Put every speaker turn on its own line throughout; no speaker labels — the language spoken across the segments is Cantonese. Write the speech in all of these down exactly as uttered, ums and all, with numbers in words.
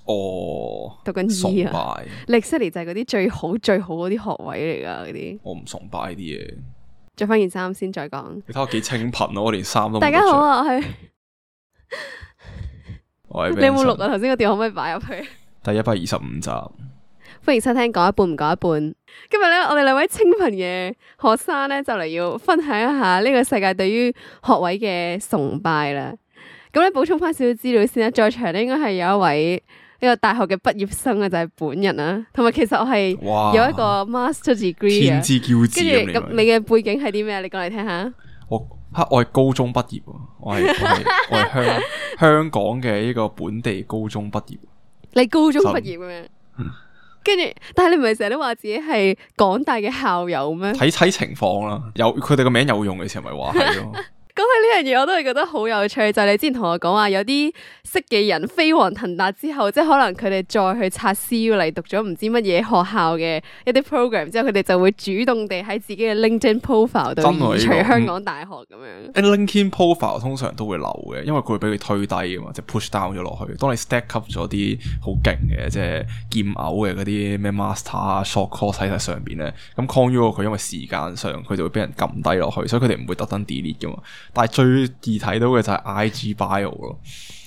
哦，
讀緊醫啊，歷史嚟就係嗰啲最好最好嗰啲學位嚟㗎嗰啲。
我唔崇拜啲嘢。
着翻件衫先再講。
你睇我幾清貧咯，我連衫都冇。
大家好啊，我係。
我係
你有冇錄啊？頭先個電話可唔可以擺入去？
第一百二十五集，
歡迎收聽講一半唔講一半。今日咧，我哋兩位清貧嘅學生咧，就嚟要分享一下呢個世界對於學位嘅崇拜啦。咁咧，補充翻少少資料先啦。在場咧應該係有一位呢個大學嘅畢業生啊，就係、是、本人啦。同埋其實我係有一個 master degree
天之驕子。
跟住咁，你嘅背景係啲咩？你講嚟聽下。
我吓我係高中畢業，我係我係我係香香港嘅呢個本地高中畢業。
你高中畢業嘅咩？跟住，但係你唔係成日都話自己係港大嘅校友咩？
睇睇情況啦，有佢哋個名有用嘅時候咪話係咯。
講起呢樣嘢，我都係覺得好有趣。就係、是、你之前同我講話，有啲識嘅人飛黃騰達之後，即係可能佢哋再去刷 C U 嚟讀咗唔知乜嘢學校嘅一啲 program 之後，佢哋就會主動地喺自己嘅 LinkedIn profile 度移除香港大學咁樣。
LinkedIn profile 通常都會留嘅，因為佢會俾佢推低噶嘛，即係 push down 咗落去。當你 stack up 咗啲好勁嘅，即係劍偶嘅嗰啲咩 master 啊 short course 喺上邊咧，咁 con u 佢因為時間上佢就會俾人撳低落去，所以佢哋唔會特登 delete 噶嘛。但係最易睇到嘅就係 I G bio 咯，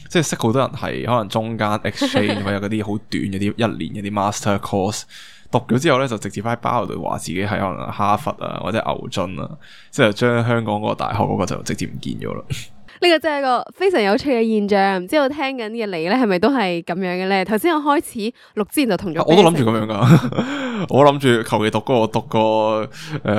即係識好多人係可能中間 exchange 或者嗰啲好短嗰啲一年嗰啲 master course 讀咗之後咧，就直接喺 bio 度話自己係可能哈佛啊或者牛津啊，即係將香港嗰個大學嗰個就直接唔見咗啦。
呢個真係一個非常有趣嘅現象，唔知道聽緊嘅你咧係咪都係咁樣嘅咧？頭先我開始錄之前就同咗，
我都諗住咁樣噶，我諗住求其讀嗰個讀個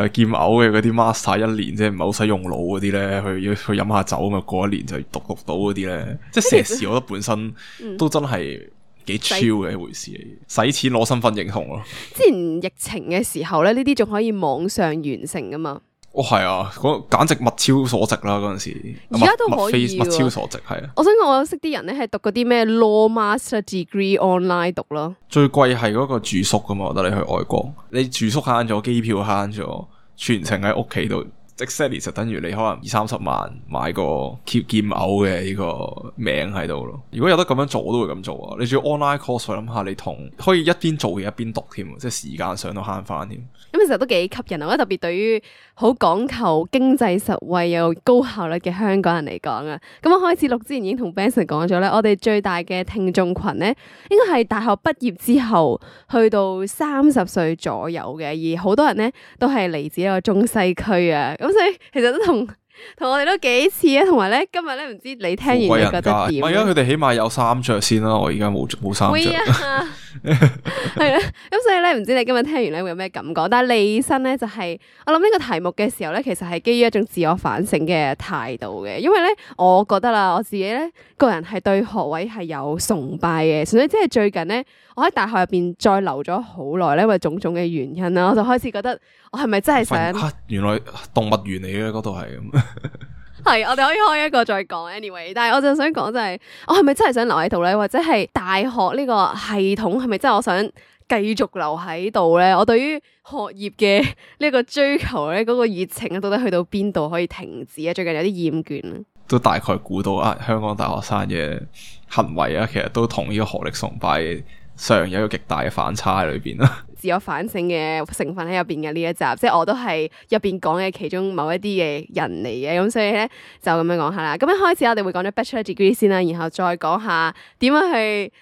誒劍偶嘅嗰啲 master 一年，即係唔係好使用腦嗰啲咧，去要去飲下酒咁啊，過一年就讀讀到嗰啲咧，即係碩士，我覺得本身都真係幾 chill 嘅一回事嚟，使錢攞身份認同咯。
之前疫情嘅時候咧，呢啲仲可以網上完成噶嘛？
哦，係啊，嗰簡直物超所值啦！嗰陣時，
而家都可以
物超所值係啊。
我想講，我識啲人咧係讀嗰啲咩 law master degree online 讀咯。
最貴係嗰個住宿噶嘛，我覺得你去外國，你住宿慳咗，機票慳咗，全程喺屋企度。exactly 就等於你可能二三十萬買個 keep 劍偶嘅呢個名喺度咯。如果有得咁樣做，我都會咁做啊。你仲要 online course，我諗下你同可以一邊做嘢一邊讀添，即係時間上都慳翻添。
咁其實都幾吸引啊！我覺得特別對於好講求經濟實惠又高效率嘅香港人嚟講啊，咁我開始錄之前已經同 Benson 講咗咧，我哋最大嘅聽眾群咧，應該係大學畢業之後去到三十歲左右嘅，而好多人咧都係嚟自一個中西區啊。咁所以其實都同同我哋都幾似啊，同埋咧今日咧唔知你聽完你覺得點？
唔係啊，佢哋起碼有衫着先啦，我而家冇冇衫着。
係啦，咁所以咧唔知你今日聽完咧會有咩感覺？但係李生咧就係、是、我諗呢個題目嘅時候咧，其實係基於一種自我反省嘅態度嘅，因為咧我覺得啦，我自己咧個人係對學位係有崇拜嘅，純粹即係最近咧我喺大學入邊再留咗好耐咧，因為種種嘅原因啦，我就開始覺得我係咪真係想、
啊？原來動物園嚟嘅嗰度係咁。
係，我哋可以開一個再講 anyway， 但係我就想講就係、是，我係咪真係想留喺度咧？或者係大學呢個系統係咪真係我想繼續留喺度咧？我對於學業嘅呢個追求咧，嗰、那個熱情啊，到底去到邊度可以停止啊？最近有啲厭倦啊，都
大概估到啊，香港大學生嘅行為啊，其實都同呢個學歷崇拜上有一個極大嘅反差喺裏邊啦。
自我反省嘅成分喺入邊嘅呢一集，即係我都係入邊講嘅其中某一啲嘅人嚟嘅，咁所以咧就咁樣講下啦。咁一開始我哋會講咗 Bachelor Degree 先啦，然後再講下點樣去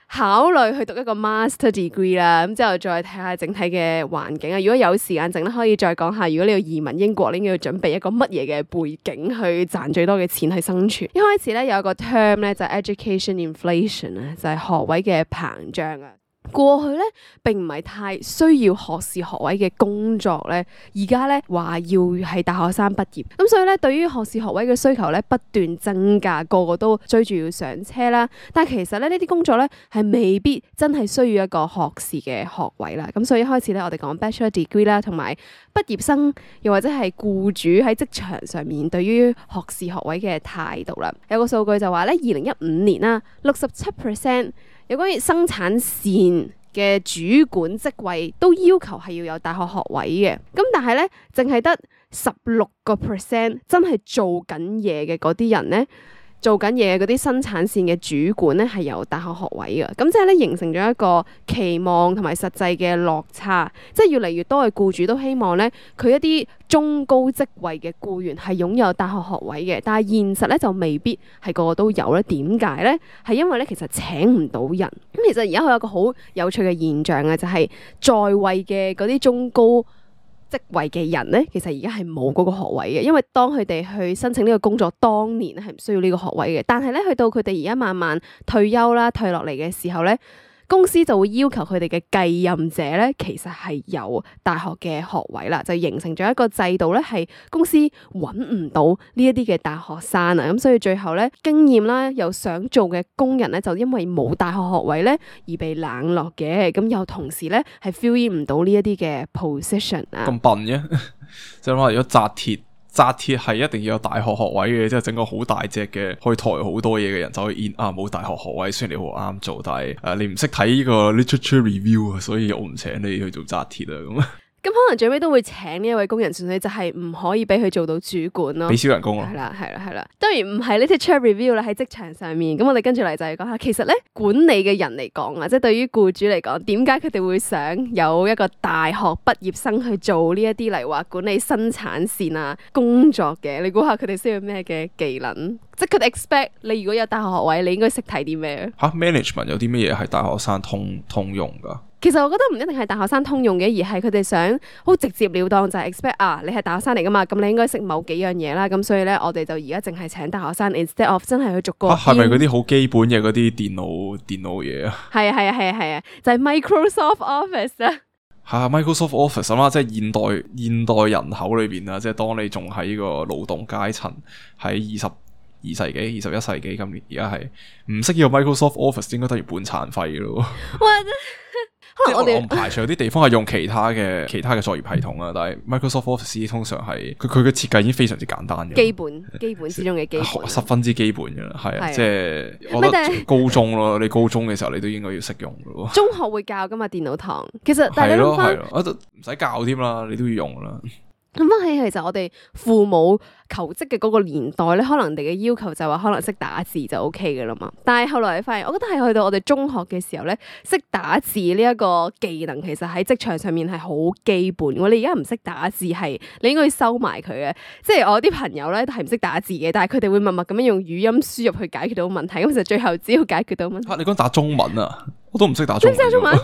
考慮去讀一個 Master Degree 啦，咁之後再睇下整體嘅環境啊。如果有時間剩咧，可以再講下，如果你要移民英國，你應該要準備一個乜嘢嘅背景去賺最多嘅錢去生存。一開始咧有一個 term 咧就係 Education Inflation 啊，就係學位嘅膨脹啊。過去咧並唔係太需要學士學位嘅工作咧，而家咧話要係大學生畢業，咁所以咧對於學士學位嘅需求咧不斷增加，個個都追住要上車啦。但係其實咧呢啲工作咧係未必真係需要一個學士嘅學位啦。咁所以一開始咧我哋講 Bachelor Degree 啦，同埋畢業生又或者係僱主喺職場上面對於學士學位嘅態度啦。有個數據就話咧，二零一五年啦，六十七 percent。有關於生產線嘅主管職位都要求係要有大學學位嘅，咁但係咧，淨係得十六個 percent 真係做緊嘢嘅嗰啲人咧，做緊嘢嗰啲生產線嘅主管咧係有大學學位嘅，咁即係咧形成咗一個期望同埋實際嘅落差，即係越嚟越多嘅僱主都希望咧佢一啲中高職位嘅僱員係擁有大學學位嘅，但係現實咧就未必係個個都有咧。點解咧？係因為咧其實請唔到人。咁其實而家佢有一個好有趣嘅現象嘅，就係在位嘅嗰啲中高職位嘅人咧，其實而家係冇嗰個學位嘅，因為當佢哋去申請呢個工作當年係唔需要呢個學位嘅，但係咧去到佢哋而家慢慢退休啦、退落嚟嘅時候咧，公司就會要求佢哋嘅繼任者咧，其實係有大學嘅學位啦，就形成咗一個制度咧，係公司揾唔到呢一啲嘅大學生啊，咁所以最後咧經驗啦又想做嘅工人咧，就因為冇大學學位咧而被冷落嘅，咁又同時咧係 fill in 唔到呢一啲嘅 position 啊。
咁笨嘅，即係話如果紮鐵。紮鐵係一定要有大學學位嘅，即係整個好大隻嘅，可以抬好多嘢嘅人就可以 in 啊！冇大學學位，雖然你好啱做，但係誒、呃、你唔識睇呢個 literature review 啊，所以我唔請你去做紮鐵啊咁。
咁可能最尾都會請呢一位工人，純粹就係唔可以俾佢做到主管咯，
俾少人工咯。
係啦，係啦，係啦。當然唔係呢啲 literature review 啦，喺職場上面。咁我哋跟住嚟就係講下，其實咧管理嘅人嚟講啊，即係對於僱主嚟講，點解佢哋會想有一個大學畢業生去做呢一啲嚟話管理生產線啊工作嘅？你估下佢哋需要咩嘅技能？即係佢哋 expect 你如果有大學學位，你應該識睇啲咩？
嚇 management 有啲咩嘢係大學生通通用㗎？
其實我覺得唔一定係大學生通用嘅，而係佢哋想好直接了當，就係 expect 啊，你係大學生嚟噶嘛，咁你應該識某幾樣嘢啦。咁所以咧，我哋就而家淨係請大學生 instead of 真係去逐個。
係咪嗰啲好基本嘅嗰啲電腦電腦嘢啊？
係啊係啊係啊係啊，就係 Microsoft Office 啊。
係啊 Microsoft Office 啊嘛，即係現代現代人口裏邊啊，即係當你仲喺呢個勞動階層喺二十二世紀、二十一世紀，今年而家係唔識呢個 Microsoft Office，應該等於半殘廢咯。哇！可能我哋我唔排除有啲地方係用其他嘅其他嘅作業系統啊，但係 Microsoft Office 通常係佢佢嘅設計已經非常之簡單嘅，
基本基本之中嘅基本，
十分之基本嘅啦，係啊，即係我覺得高中咯，你高中嘅時候你都應該要識用嘅咯。
中學會教噶嘛電腦堂，其實大家
係咯係咯，我都唔使教添啦，你都要用啦。
諗翻起其實我哋父母求職嘅嗰個年代咧，可能人哋嘅要求就係話可能識打字就 O K 嘅啦嘛。但係後來你發現，我覺得係去到我哋中學嘅時候咧，識打字呢一個技能其實喺職場上面係好基本。我哋而家唔識打字係你應該要收埋佢嘅。即係我啲朋友咧都係唔識打字嘅，但係佢哋會默默咁樣用語音輸入去解決到問題。咁就最後只要解決到問題。
嚇、啊！你講打中文啊？我都唔識打中文。
你識打中文？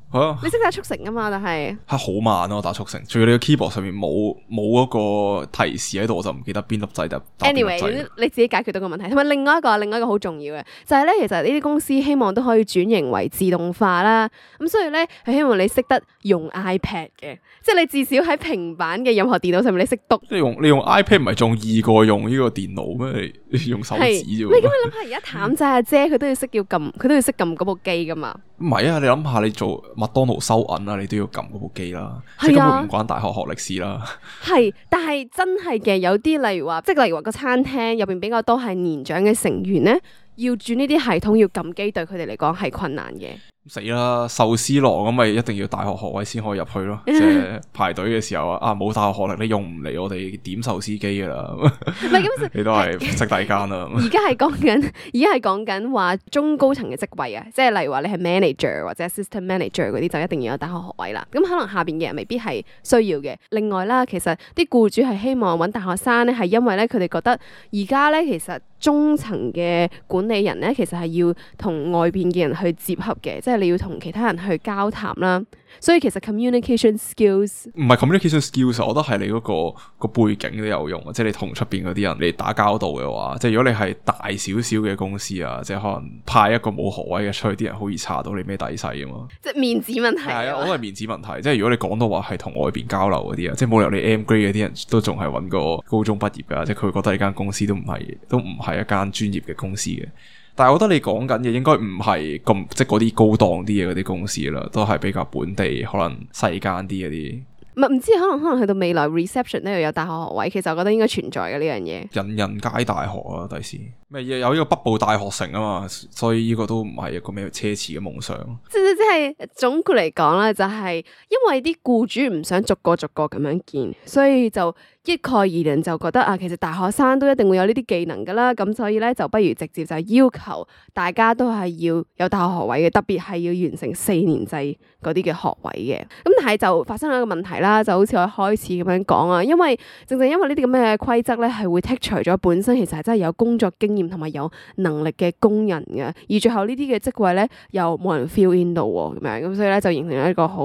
係啊，
你識打速成啊嘛，但係
係好慢咯，打速成。仲要你個 keyboard 上面冇冇嗰個提示喺度，我就唔記得邊粒掣就打邊粒掣。
Anyway，你自己解決到個問題。同埋另外一個，另外一個好重要嘅就係咧，其實呢啲公司希望都可以轉型為自動化啦。咁所以咧，係希望你識得用 iPad 嘅，即係你至少喺平板嘅任何電腦上面你識讀。
即係用你用 iPad 唔係仲易過用呢個電腦咩？你用手指啫。
喂，咁你諗下，而家譚仔阿姐佢都要識要撳，佢都要識撳嗰部機噶嘛？
唔係啊，你諗下，你做麥當勞收銀啊，你都要撳嗰部機啦，
係啊，
即係根本唔關大學學歷史啦。
係，但係真係嘅，有啲例如話，即係例如話個餐廳入邊比較多係年長嘅成員咧，要轉呢啲系統要撳機，對佢哋嚟講係困難嘅。
死啦！壽司郎咁咪一定要大學學位先可以入去咯，即係排隊嘅時候啊，啊冇大學學歷你用唔嚟我哋點壽司機噶啦，
唔係咁，
你都係識第間啦。
而家係講緊，而家係講緊話中高層嘅職位啊，即係例如話你係 manager 或者 assistant manager 嗰啲，就一定要有大學學位啦。咁可能下邊嘅人未必係需要嘅。另外啦，其實啲僱主係希望揾大學生咧，係因為咧佢哋覺得而家咧其實中層嘅管理人咧，其實係要同外邊嘅人去接洽嘅，即係你要同其他人去交談啦。所以其實 communication skills
唔係 communication skills，我覺得係你嗰個個背景都有用啊。即係你同出邊嗰啲人你打交道嘅話，即係如果你係大少少嘅公司啊，即係可能派一個冇學位嘅出去，啲人好易查到你咩底細啊嘛。
即係面子問題。
係啊，我都係面子問題。即係如果你講到話係同外邊交流嗰啲啊，即係冇理由你 M grade 嗰啲人都仲係揾個高中畢業噶，即係佢會覺得呢間公司都唔係都唔係一間專業嘅公司嘅。但係我覺得你講緊嘅應該唔係咁即係嗰啲高檔啲嘅嗰啲公司啦，都係比較本地可能細間啲嗰啲。
唔唔知可能可能去到未來 reception 呢度有大學學位，其實我覺得應該存在嘅呢樣嘢。
人人皆大學啊，第時咩有呢個北部大學城啊嘛，所以呢個都唔係一個咩奢侈嘅夢想。
即即即係總括嚟講咧，就係因為啲僱主唔想逐個逐個咁樣見，所以就一概而論就覺得啊，其實大學生都一定會有呢啲技能噶啦，咁所以咧就不如直接就要求大家都係要有大學學位嘅，特別係要完成四年制嗰啲嘅學位嘅。咁但係就發生咗一個問題啦，就好似我一開始咁樣講啊，因為正正因為呢啲咁嘅規則咧，係會剔除咗本身其實係真係有工作經驗同埋有能力嘅工人嘅，而最後呢啲嘅職位咧又冇人 fill in 到喎，咁樣咁所以咧就形成咗一個好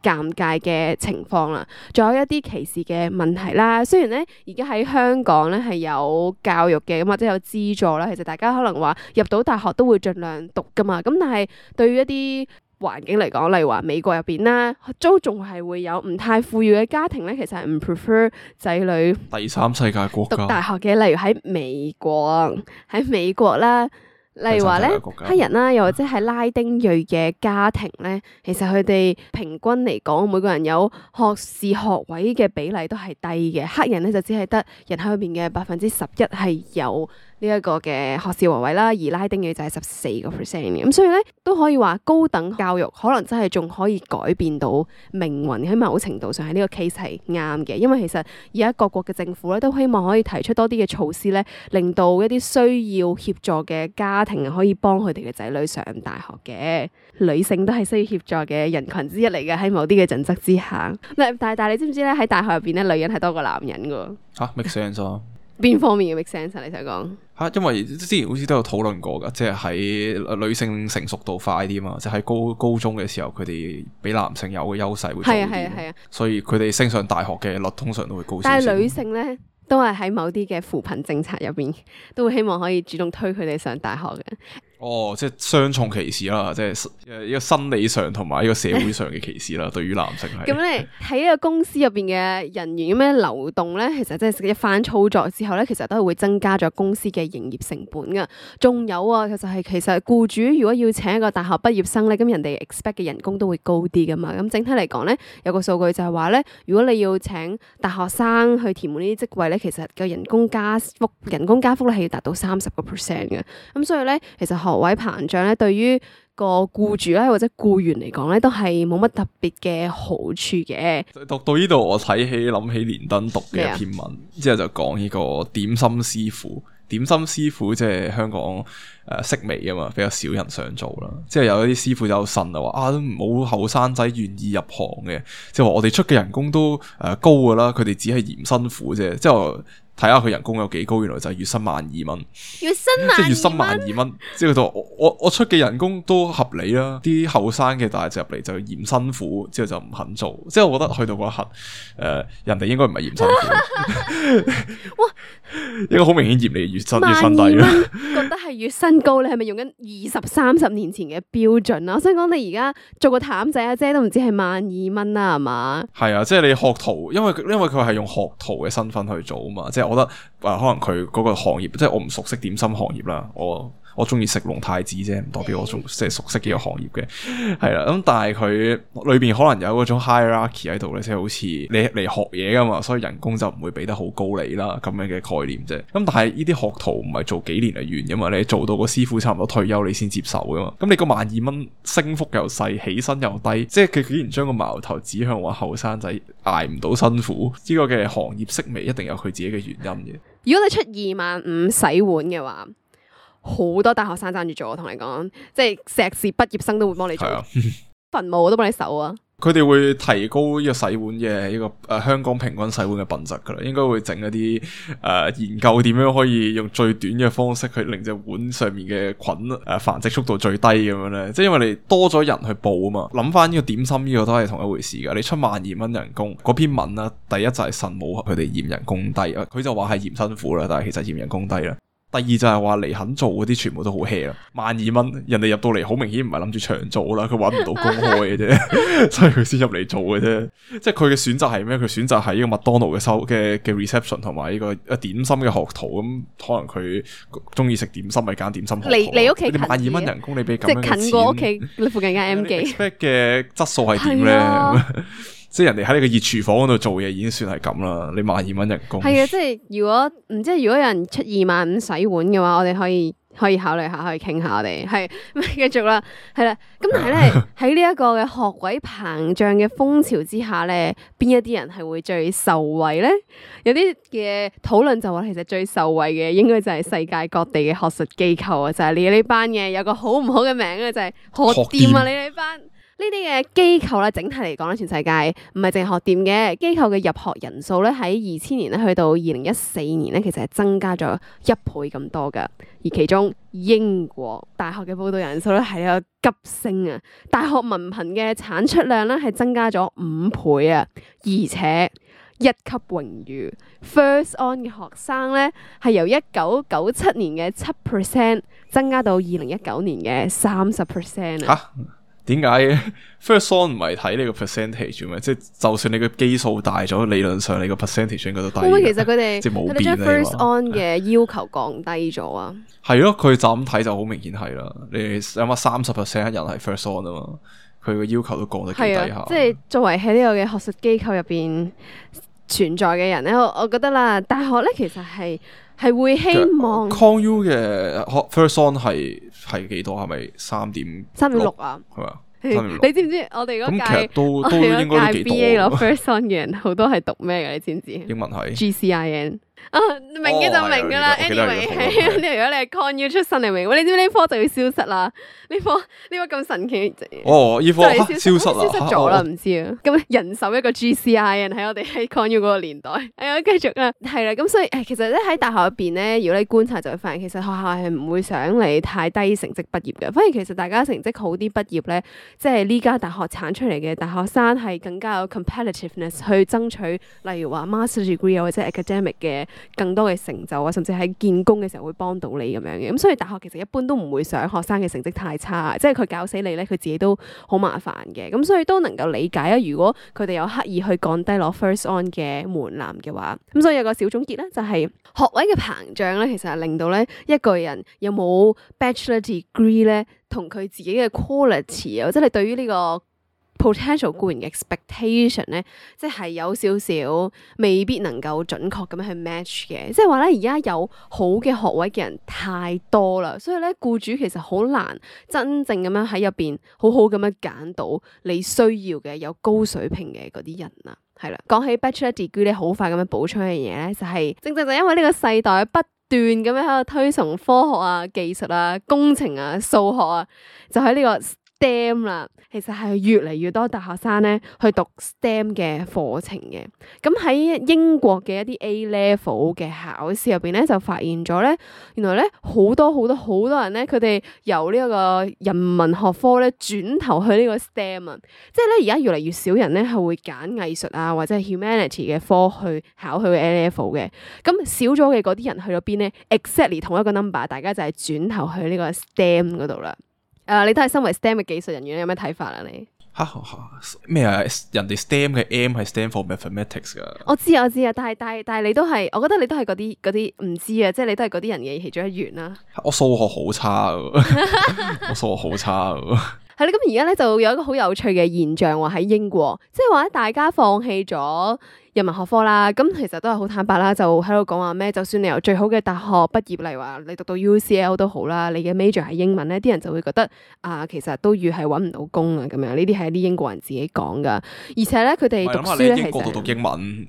尷尬嘅情況啦。仲有一啲歧視嘅問題啦。雖然咧而家喺香港咧係有教育嘅，咁或者有資助啦，其實大家可能話入到大學都會盡量讀噶嘛。咁但係對於一啲環境嚟講，例如話美國入邊啦，都仲係會有唔太富裕嘅家庭咧，其實係唔 prefer 仔女
第三世界國家
讀大學嘅。例如喺美國，喺美國啦。例如話咧，黑人啦，又或者係拉丁裔嘅家庭咧，其實佢哋平均嚟講，每個人有學士學位嘅比例都係低嘅。黑人咧就只係得人口入邊嘅百分之十一係有呢一個嘅學士學位啦，而拉丁裔就係十四個 percent 嘅。咁所以咧都可以話高等教育可能真係仲可以改變到命運，喺某程度上係呢個 case 係啱嘅。因為其實而家各國嘅政府咧都希望可以提出多啲嘅措施咧，令到一啲需要協助嘅家庭可以幫佢哋嘅仔女上大學嘅。女性都係需要協助嘅人群之一嚟嘅，喺某啲嘅準則之下。但但係你知唔知咧，喺大學入邊咧，女人係多過男人噶？
吓 make sense 啊？
邊方面嘅 make sense 啊？你想講？
吓，因為之前好似都有討論過噶，即係喺女性成熟度快啲嘛，即係喺高高中嘅時候，佢哋比男性有嘅優勢會多啲。係啊係啊係啊，所以佢哋升上大學嘅率通常都會高少少。
但係女性咧，都係喺某啲嘅扶貧政策入邊，都會希望可以主動推佢哋上大學嘅。
哦，即係雙重歧視啦，即係誒一個生理上同埋一個社會上嘅歧視啦，對於男性係。
咁咧喺呢個公司入邊嘅人員咁樣流動咧，其實即係一番操作之後咧，其實都係會增加咗公司嘅營業成本噶。仲有啊，其實係其實僱主如果要請一個大學畢業生咧，咁人哋 expect 嘅人工都會高啲噶嘛。咁整體嚟講咧，有個數據就係話咧，如果你要請大學生去填滿呢啲職位咧，其實個人工加幅人工加幅咧係要達到三十個 percent 嘅。咁所以咧，其實學位膨脹咧，對於個僱主咧或者僱員嚟講咧，都係冇乜特別嘅好處嘅。
讀到呢度，我睇起諗起連登讀嘅一篇文，麼之後就講呢個點心師傅。點心師傅即係香港誒、呃、式微啊嘛，比較少人想做啦。即係有一啲師傅就呻啊，話啊都冇後生仔願意入行嘅，即係話我哋出嘅人工都誒、呃、高噶啦，佢哋只係嫌辛苦啫。即係睇下佢人工有幾高，原來就係月薪萬二蚊，
月薪萬
即係月薪萬二蚊。即係佢就我我我出嘅人工都合理啦，啲後生嘅大隻入嚟就嫌辛苦，之後就唔肯做。即係我覺得去到嗰一刻，誒、呃、人哋應該唔係嫌辛苦，哇，應該好明顯嫌你月薪月薪低啦。
覺得係月薪高，你係咪用緊二十三十年前嘅標準啊？我想講你而家做個譚仔阿姐都唔知係萬二蚊啦，係嘛？
係啊，即係你學徒，因為因為佢係用學徒嘅身份去做啊嘛，即係。我覺得誒、呃，可能佢嗰個行業，即係我唔熟悉點心行業啦，我我中意食龍太子啫，唔代表我仲即係熟悉呢個行業嘅，係啦。咁但係佢裏邊可能有嗰種 hierarchy 喺度咧，即係好似你嚟學嘢噶嘛，所以人工就唔會俾得好高你啦，咁樣嘅概念啫。咁但係呢啲學徒唔係做幾年就完噶嘛，你做到個師傅差唔多退休你先接受噶嘛。咁你個萬二蚊升幅又細，起薪又低，即係佢竟然將個矛頭指向話後生仔捱唔到辛苦，呢、這個嘅行業式微一定有佢自己嘅原因嘅。
如果你出二萬五洗碗嘅話，好多大學生爭住做，我同你講，即係碩士畢業生都會幫你做，墳墓我都幫你手啊！
佢哋會提高呢個洗碗嘅呢個誒、呃、香港平均洗碗嘅品質噶啦，應該會整一啲誒、呃、研究點樣可以用最短嘅方式去令隻碗上面嘅菌誒、呃、繁殖速度最低咁樣咧，即係因為你多咗人去報啊嘛。諗翻呢個點心呢個都係同一回事噶，你出萬二蚊人工嗰篇文啦，第一就係神武佢哋嫌人工低啊，佢就話係嫌辛苦啦，但係其實嫌人工低啦。第二就係話嚟肯做嗰啲全部都好 hea 啦，萬二蚊人哋入到嚟好明顯唔係諗住長做啦，佢搵唔到工開嘅啫，所以佢先入嚟做嘅啫。即係佢嘅選擇係咩？佢選擇係呢個麥當勞嘅收嘅嘅 reception 同埋呢個誒點心嘅學徒咁，可能佢中意食點心咪揀點心學徒。你你屋企近？萬二蚊人工你俾咁樣嘅錢，
即係近過屋企你附近間 M 記。
expect 嘅質素係點咧？即係人哋喺你個熱廚房嗰度做嘢已經算係咁啦，你萬二蚊人工。
係啊，即係如果唔知如果有人出二萬五洗碗嘅話，我哋可以可以考慮下，可以傾下我哋係繼續啦，係啦。咁但係咧喺呢一個嘅學位膨脹嘅風潮之下咧，邊一啲人係會最受惠咧？有啲嘅討論就話其實最受惠嘅應該就係世界各地嘅學術機構啊，就係你呢班嘅有個好唔好嘅名啊，就係學店啊，你呢班。呢啲嘅機構咧，整體嚟講咧，全世界唔係淨係學店嘅機構嘅入學人數咧，喺二千年咧去到二零一四年咧，其實係增加咗一倍咁多噶。而其中英國大學嘅報到人數咧係有急升啊，大學文憑嘅產出量咧係增加咗五倍啊，而且一級榮譽 First On 嘅學生咧係由一九九七年嘅七 percent 增加到二零一九年嘅三十 percent 啊。
點解嘅 First On 唔係睇你個 percentage 咩？即係就算你個基數大咗，理論上你個 percentage 應該都低。
會唔會其實佢哋
即係冇變
佢哋將 First
啊
On 嘅要求降低咗啊？
係咯，佢就咁睇就好明顯係啦。你諗下三十 percent 人係 First On 啊嘛，佢個要求都降得幾低下。
係啊，即係作為喺呢個嘅學術機構入邊存在嘅人咧，我我覺得啦，大學咧其實係係會希望
Con U 嘅 First On 係係幾多？係咪三點
三點六啊？
係嘛？
你知唔知我哋嗰屆
咁其實都都應該都幾多。
B A 攞 First On 嘅人好多係讀咩嘅？你知唔知？
英文係
G C I N。啊，明嘅就明噶啦。Anyway，係呢，如果你係 Con U 出身，你明？你知唔知呢科就要消失啦？呢科呢科咁神奇。
哦，呢科消失
消失咗啦，唔知啊。咁人手一個 G C I N 喺我哋喺 Con U 嗰個年代。係啊，繼續啦。係啦，咁所以誒，其實咧喺大學入邊咧，如果你觀察就會發現，其實學校係唔會想你太低成績畢業嘅。反而其實大家成績好啲畢業咧，即係呢家大學產出嚟嘅大學生係更加有 competitiveness 去爭取，例如話 master degree 啊或者 academic 嘅更多嘅成就啊，甚至喺見工嘅時候會幫到你咁樣嘅。咁所以大學其實一般都唔會想學生嘅成績太差，即係佢搞死你咧，佢自己都好麻煩嘅。咁所以都能夠理解啊。如果佢哋有刻意去降低攞 First On 嘅門檻嘅話，咁所以有個小總結咧，就係學位嘅膨脹咧，其實係令到咧一個人有冇 Bachelor Degree 咧，同佢自己嘅 quality 啊，即係你對於呢個 potential 個人嘅 expectation 咧，即係有少少未必能夠準確咁樣去 match 嘅。即係話咧，而家有好嘅學位嘅人太多啦，所以咧僱主其實好難真正咁樣喺入邊好好咁樣揀到你需要嘅有高水平嘅嗰啲人啊。係啦，講起 Bachelor Degree 咧，好快咁樣補充一樣嘢咧，就係正正就因為呢個世代不斷咁樣喺度推崇科學啊、技術啊、工程啊、數學啊，就喺呢個 STEM 啦，其實係越嚟越多大學生咧去讀 STEM 嘅課程嘅。咁喺英國嘅一啲 A level 嘅考試入邊咧，就發現咗咧，原來咧好多好多好多人咧，佢哋由呢一個人文學科咧轉頭去呢個 STEM 啊，即係咧而家越嚟越少人咧係會揀藝術啊或者係 humanity 嘅科去考佢嘅 A level 嘅。咁少咗嘅嗰啲人去咗邊咧 ？exactly 同一個 number， 大家就係轉頭去呢個 STEM 嗰度啦。誒、uh，你都係身為 STEM 嘅技術人員，你有咩睇法啊？你
吓咩啊？人哋 STEM 嘅 M 係 stand for mathematics 噶。
我知啊，我知啊，但係但係但係你都係，我覺得你都係嗰啲嗰啲唔知啊，即係你都係嗰啲人嘅其中一員啦。
我數學好差噶，我數學好差噶。
係啦，咁而家咧就有一個好有趣嘅現象喎，喺英國，即係話大家放棄咗人文學科啦，咁其實都係好坦白啦，就喺度講話咩？就算你由最好嘅大學畢業，例如話你讀到 U C L 都好啦，你嘅 major 係英文咧，啲人就會覺得啊，其實都越係揾唔到工啊，咁樣呢啲係啲英國人自己講噶，而且咧佢哋讀書咧，
其實英國度讀英文，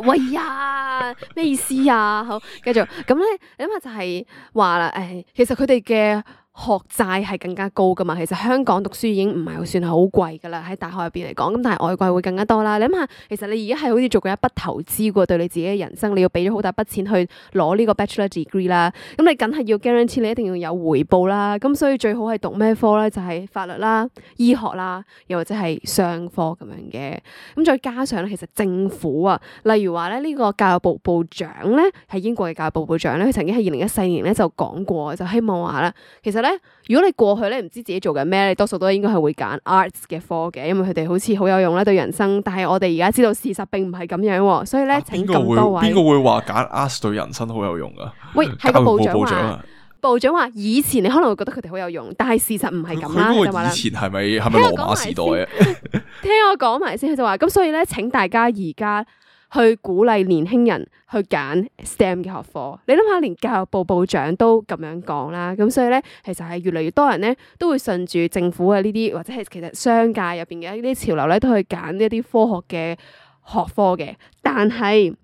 喂呀，咩意思啊？好，繼續咁咧，你諗下就係話啦，誒，其實佢哋嘅學債係更加高噶嘛，其實香港讀書已經唔係算係好貴噶啦，喺大學入邊嚟講，咁但係外國會更加多啦。你諗下，其實你而家係好似做過一筆投資喎，對你自己嘅人生，你要俾咗好大筆錢去攞呢個 Bachelor Degree 啦，咁你梗係要 guarantee 你一定要有回報啦。咁所以最好係讀咩科咧？就係、是、法律啦、醫學啦，又或者係商科咁樣嘅。咁再加上咧，其實政府啊，例如話咧呢個教育部部長咧，係英國嘅教育部部長咧，佢曾經喺二零一四年咧就講過，就希望話咧，其實咧，如果你過去咧唔知自己做緊咩，你多數都應該係會揀 arts 嘅科嘅，因為佢哋好似好有用啦對人生。但係我哋而家知道事實並唔係咁樣，所以咧、啊、請咁多位。
邊個會話揀 arts 對人生好有用噶？
喂，係個部長話，部長話以前你可能會覺得佢哋好有用，但係事實唔係咁啦。
佢
就話啦
以前係咪係咪羅馬時代啊？
聽我講埋先，佢就話咁，所以咧請大家而家去鼓勵年輕人去揀 S T E M 嘅學科。你諗下，連教育部部長都咁樣講啦，咁所以咧其實係越嚟越多人咧都會順住政府嘅呢啲，或者係其實商界入邊嘅呢啲潮流咧，都去揀呢一啲科學嘅學科嘅。但係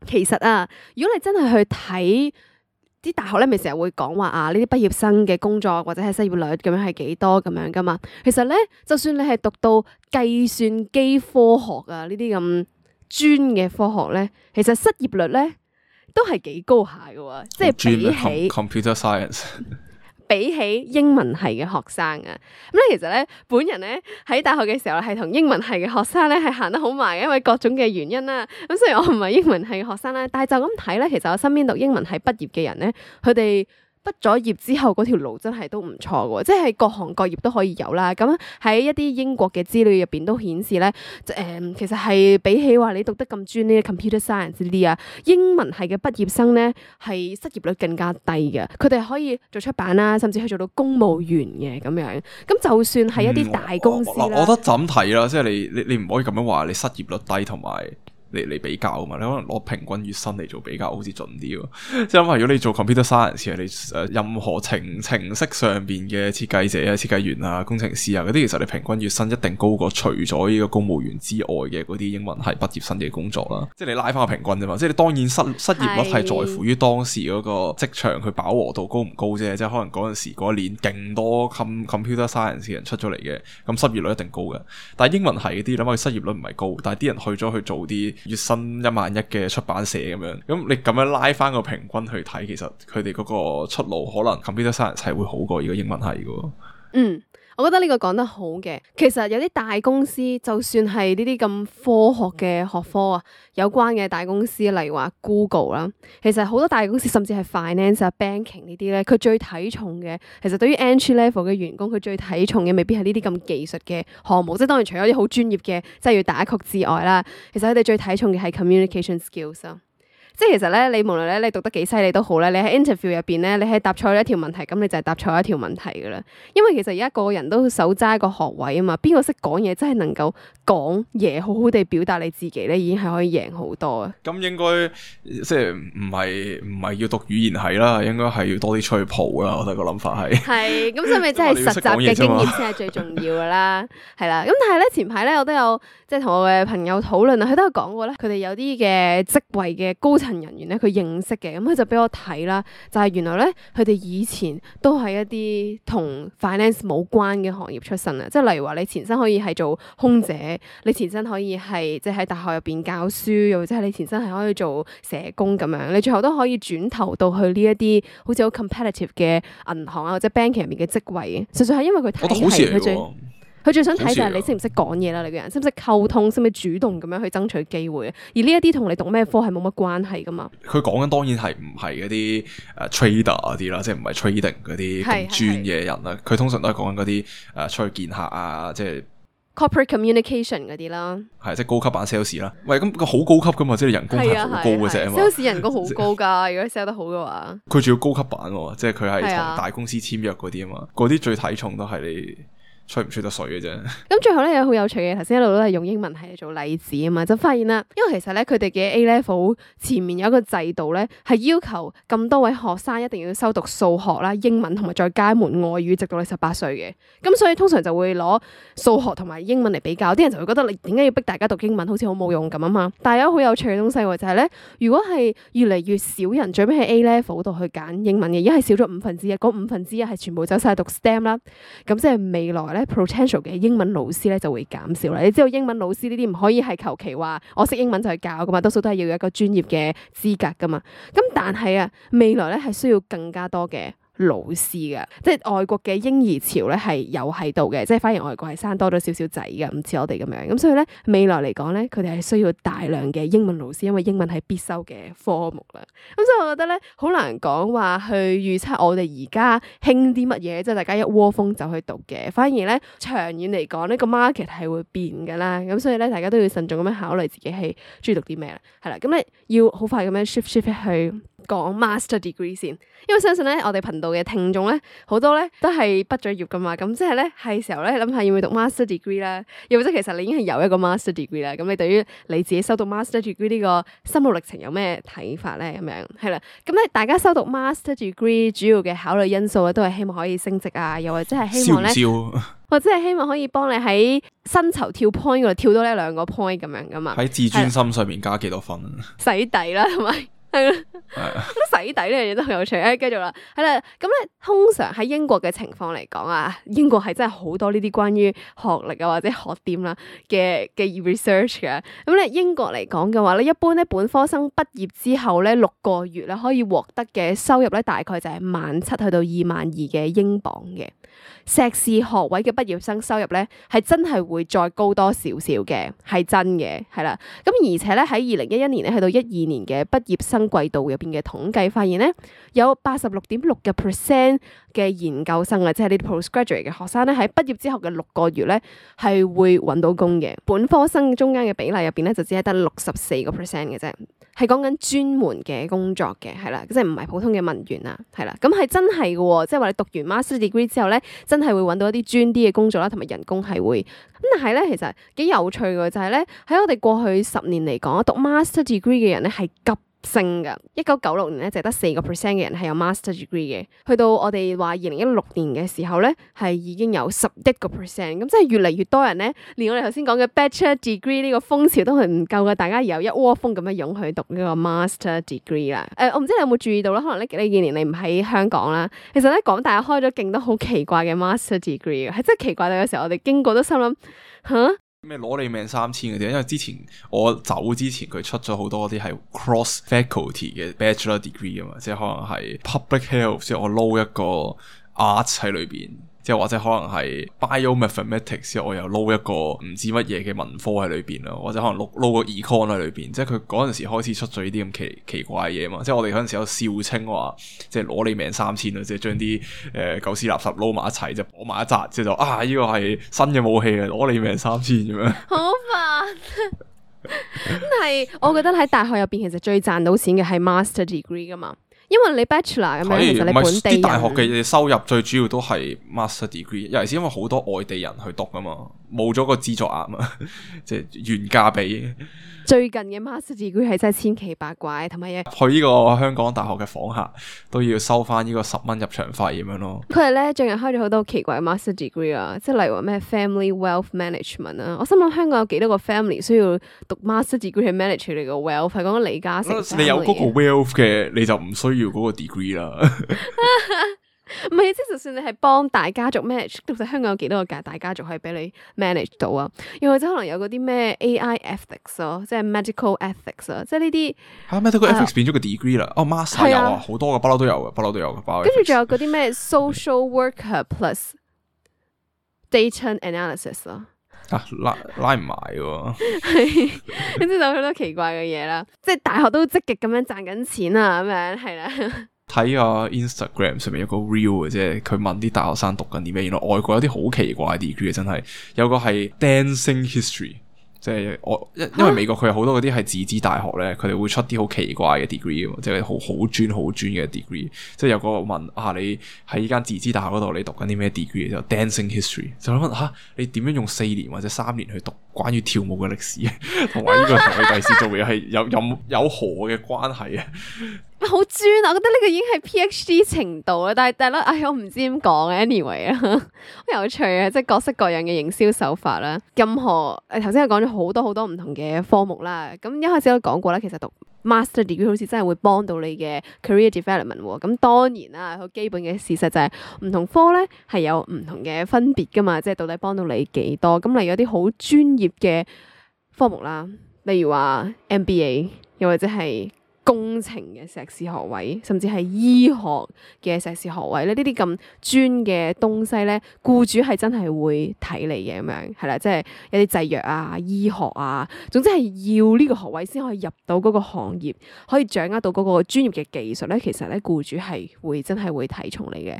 其實啊，如果你真係去睇啲大學咧，咪成日會講話啊，呢啲畢業生嘅工作或者係失業率咁樣係幾多咁樣噶嘛？其實咧，就算你係讀到計算機科學啊呢啲咁專嘅科學咧，其實失業率咧都係幾高下嘅喎，即係比起
computer science。
比起英文系嘅學生啊，咁咧其實咧，本人咧喺大學嘅時候係同英文系嘅學生咧係行得好埋嘅，因為各種嘅原因啦。咁雖然我唔係英文系嘅學生啦，但係就咁睇咧，其實我身邊讀英文系畢業嘅人咧，佢哋畢咗業之後嗰條路真係都唔錯嘅，即係各行各業都可以有啦。咁喺一啲英國嘅資料入邊都顯示咧，誒、嗯、其實係比起話你讀得咁專呢 computer science 呢啲啊，英文系嘅畢業生咧係失業率更加低嘅。佢哋可以做出版啦，甚至去做到公務員嘅咁樣。咁就算係一啲大公司啦、
嗯，我覺得怎睇啦，即係你你你唔可以咁樣話你失業率低同埋。嚟嚟比較啊嘛，你可能攞平均月薪嚟做比較，好似準啲喎。即係諗下，如果你做 computer science 你誒任何程程式上邊嘅設計者啊、設計員啊、工程師啊嗰啲，其實你平均月薪一定高過除咗呢個公務員之外嘅嗰啲英文系畢業生嘅工作啦。即係你拉翻個平均啫嘛。即係你當然失失業率係在乎於當時嗰個職場佢飽和度高唔高啫。即係可能嗰陣時嗰一年勁多 computer science 嘅人出咗嚟嘅，咁失業率一定高嘅。但係英文系嗰啲諗下，失業率唔係高，但係啲人去咗去做啲月薪一萬一嘅出版社咁樣，咁你咁樣拉翻個平均去睇，其實佢哋嗰個出路可能 computer science 係會好過呢個英文系嘅。
嗯。我覺得呢個講得好嘅，其實有啲大公司，就算係呢啲咁科學嘅學科啊，有關嘅大公司，例如話 Google 啦，其實好多大公司甚至係 finance 啊、banking 呢啲咧，佢最睇重嘅，其實對於 entry level 嘅員工，佢最睇重嘅未必係呢啲咁技術嘅項目，即係當然除咗啲好專業嘅，即係要打曲之外啦，其實佢哋最睇重嘅係 communication skills 啊。即係其實咧，你無論咧你讀得幾犀利都好咧，你喺 interview 入邊咧，你係答錯一條問題，咁你就係答錯一條問題噶啦。因為其實而家個個人都手揸一個學位啊嘛，邊個識講嘢真係能夠講嘢，好好地表達你自己咧，已經係可以贏好多啊。
咁應該即係唔係唔係要讀語言系啦，應該係要多啲出去蒲啦。我覺得個諗法係
係咁，所以咪真係實習嘅經驗先係最重要噶啦。係啦，咁但係咧前排咧我都有即係同我嘅朋友討論啊，佢都有講過咧，佢哋有啲嘅職位嘅高層人員咧，佢認識嘅，咁佢就俾我睇啦，就係原來咧，佢哋以前都係一啲同 finance 冇關嘅行業出身啊，即係例如話你前身可以係做空姐，你前身可以係即係喺大學入邊教書，又或者係你前身係可以做社工咁樣，你最後都可以轉投到去呢一啲好似好 competitive 嘅銀行啊或者 banking 入面嘅職位嘅，實際係因為佢睇係佢最。佢最想睇就係你識唔識講嘢啦，你個人識唔識溝通，識唔識主動咁樣去爭取機會。而呢一啲同你讀咩科係冇乜關係噶嘛。佢
講緊當然係唔係嗰啲誒 trader 嗰啲啦，即係唔係 trading 嗰啲咁專嘅人啦。佢通常都係講緊嗰啲誒出去見客啊，即係
corporate communication 嗰啲啦。
係即係高級版 sales 啦。喂，咁佢好高級噶嘛，即係人工係好高嘅啫嘛。
sales 人工好高㗎，如果 sell 得好嘅話。
佢仲要高級版喎，即係佢係同大公司簽約嗰啲啊嘛。嗰啲最睇重都係你。吹唔吹得水嘅啫。咁
最後咧有好有趣嘅，頭先一路都係用英文係做例子啊嘛，就發現啦，因為其實咧佢哋嘅 A level 前面有一個制度咧，係要求咁多位學生一定要修讀數學啦、英文同埋再加一門外語，直到你十八歲嘅。咁所以通常就會攞數學同埋英文嚟比較，啲人就會覺得你點解要逼大家讀英文，好似好冇用咁啊嘛。但係有好有趣嘅東西喎，就係咧，如果係越嚟越少人最尾喺 A level 度去揀英文嘅，而家係少咗五分之一，嗰五分之一係全部走晒讀 S T E M 啦，咁即係未來咧。potential 嘅英文老師咧就會減少啦。你知道英文老師呢啲唔可以係求其話我識英文就去教噶嘛，多數都係要有一個專業嘅資格噶嘛。咁但係啊，未來咧係需要更加多嘅老師嘅，即係外國嘅嬰兒潮咧係有喺度嘅，即係反而外國係生多咗少少仔嘅，唔似我哋咁樣。咁所以咧未來嚟講咧，佢哋係需要大量嘅英文老師，因為英文係必修嘅科目啦。咁所以我覺得咧好難講話去預測我哋而家興啲乜嘢，即係大家一窩蜂就去讀嘅。反而咧長遠嚟講呢個 market 係會變噶啦。咁所以咧大家都要慎重咁樣考慮自己係中意讀啲咩啦。係啦，咁你要好快咁樣 shift shift 去。講 master degree 先，因為相信咧我哋頻道嘅聽眾咧好多咧都係畢咗業噶嘛，咁即係咧係時候咧諗下要唔要讀 master degree 啦，又或者其實你已經係有一個 master degree 啦，咁你對於你自己修讀 master degree 呢個心路歷程有咩睇法咧？咁樣係啦，咁咧大家修讀 master degree 主要嘅考慮因素咧都係希望可以升職啊，又或者係希望咧，
燒
或者係希望可以幫你喺薪酬跳 point 嗰度跳多呢兩個 point 咁樣噶嘛，
喺自尊心上面加幾多分？
洗底啦，同埋。係啦，咁洗底呢樣嘢都好有趣。誒，繼續啦，係啦，咁咧通常喺英國嘅情況嚟講啊，英國係真係好多呢啲關於學歷啊或者學點啦嘅嘅 research 嘅。咁咧英國嚟講嘅話咧，一般咧本科生畢業之後咧六個月咧可以獲得嘅收入咧大概就係萬七去到二萬二嘅英鎊嘅。碩士學位嘅畢業生收入咧係真係會再高多少少嘅，係真嘅，係啦。咁而且咧喺二零一一年咧去到一二年嘅畢業生季度入邊嘅統計發現咧，有八十六點六嘅 percent 嘅研究生啊，即係呢啲 postgraduate 嘅學生咧喺畢業之後嘅六個月咧係會揾到工嘅。本科生中間嘅比例入邊咧就只係得六十四個 percent 嘅啫。係講緊專門嘅工作嘅，係啦，即係唔係普通嘅文員啊，係啦，咁係真係嘅，即係話你讀完 master degree 之後咧，真係會揾到一啲專啲嘅工作啦，同埋人工係會，咁但係咧，其實幾有趣嘅就係咧，喺我哋過去十年嚟講，讀 master degree 嘅人咧係急升噶，一九九六年咧就得四個 percent 嘅人係有 master degree 嘅，去到我哋話二零一六年嘅時候咧，係已經有十一個 percent，咁即係越嚟越多人咧，連我哋頭先講嘅 bachelor degree 呢個風潮都係唔夠嘅，大家而有一窩蜂咁樣湧去讀呢個 master degree 啦。誒、呃，我唔知你有冇注意到啦，可能呢呢幾年你唔喺香港啦，其實咧港大開咗勁多好奇怪嘅 master degree 嘅，係真係奇怪到有時候我哋經過都心諗吓。
咩攞你命三千嗰啲，因為之前我走之前佢出咗好多啲係 cross faculty 嘅 bachelor degree 啊嘛，即係可能係 public health，即係我撈一個 arts 喺裏邊，即係或者可能係 biomathematics，之後我又撈一個唔知乜嘢嘅文科喺裏邊咯，或者可能撈撈個 econ 喺裏邊，即係佢嗰陣時開始出咗呢啲咁奇奇怪嘅嘢嘛，即係我哋嗰陣時有笑稱話，即係攞你命三千啊，即係將啲誒狗屎垃圾撈埋一齊，就攞埋一紮，即係就啊呢個係新嘅武器啊，攞你命三千咁樣。好
煩。咁係，我覺得喺大學入邊其實最賺到錢嘅係 master degree 噶嘛。因為你 bachelor 咁樣，其實你本地人啲
大學嘅收入最主要都係 master degree，尤其是因為好多外地人去讀啊嘛，冇咗個資助額啊，即係原價比。
最近嘅 master degree 係真係千奇百怪，同埋嘢
去呢個香港大學嘅訪客都要收翻呢個十蚊入場費咁樣咯。
佢哋咧最近開咗好多奇怪嘅 master degree 啊，即係例如話咩 family wealth management 啊。我心諗香港有幾多個 family 需要讀 master degree 去 manage 你個 wealth？係講緊李嘉誠。
你有嗰個 wealth 嘅，你就唔需要嗰個 degree 啦。
唔係，即係就算你係幫大家族 manage，到底香港有幾多個大大家族可以俾你 manage 到啊？又或者可能有嗰啲咩 A I ethics 咯，即係 medical ethics 啊，即係呢啲
嚇 medical ethics 變咗個 degree 啦。哦 master 有啊，好多嘅，不嬲都有嘅，不嬲都有嘅。
跟住仲有嗰啲咩 social worker plus data analysis 咯。
啊拉拉唔埋喎，
係，跟住就好多奇怪嘅嘢啦。即係大學都積極咁樣賺緊錢啊，咁樣係啦。
睇個 Instagram 上面有個 reel 嘅啫，佢問啲大學生讀緊啲咩，原來外國有啲好奇怪嘅 degree 真係，有個係 dancing history， 即係我因因為美國佢有好多嗰啲係自資大學咧，佢哋會出啲好奇怪嘅 degree， 即係好好專好專嘅 degree， 即係有個問啊，你喺呢間自資大學嗰度你讀緊啲咩 degree， 就 dancing history， 就諗下你點樣用四年或者三年去讀關於跳舞嘅歷史，同埋呢個同你第時做嘢係有有有何嘅關係啊？
好專啊！我覺得呢個已經係 PhD 程度啦，但係但係咧，唉，我唔知點講嘅 anyway 啊，好有趣啊！即係各式各樣嘅營銷手法啦，任何誒頭先我講咗好多好多唔同嘅科目啦，咁一開始都講過啦，其實讀 master degree 好似真係會幫到你嘅 career development 喎，咁當然啦，好基本嘅事實就係唔同科咧係有唔同嘅分別噶嘛，即係到底幫到你幾多？咁例如有啲好專業嘅科目啦，例如話 M B A， 又或者係工程嘅碩士學位，甚至係醫學嘅碩士學位咧，呢啲咁專嘅東西咧，僱主係真係會睇你嘅咁樣，係啦，即係有啲製藥啊、醫學啊，總之係要呢個學位先可以入到嗰個行業，可以掌握到嗰個專業嘅技術咧，其實咧僱主係會真係會睇重你嘅。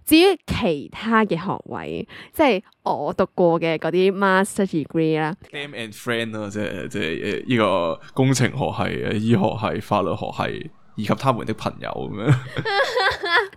至於其他嘅學位，即係我讀過嘅嗰啲 master degree 啦
，Name and friend 咯，即係即係誒呢個工程學系、醫學系、法律學系、以及他們的朋友咁樣。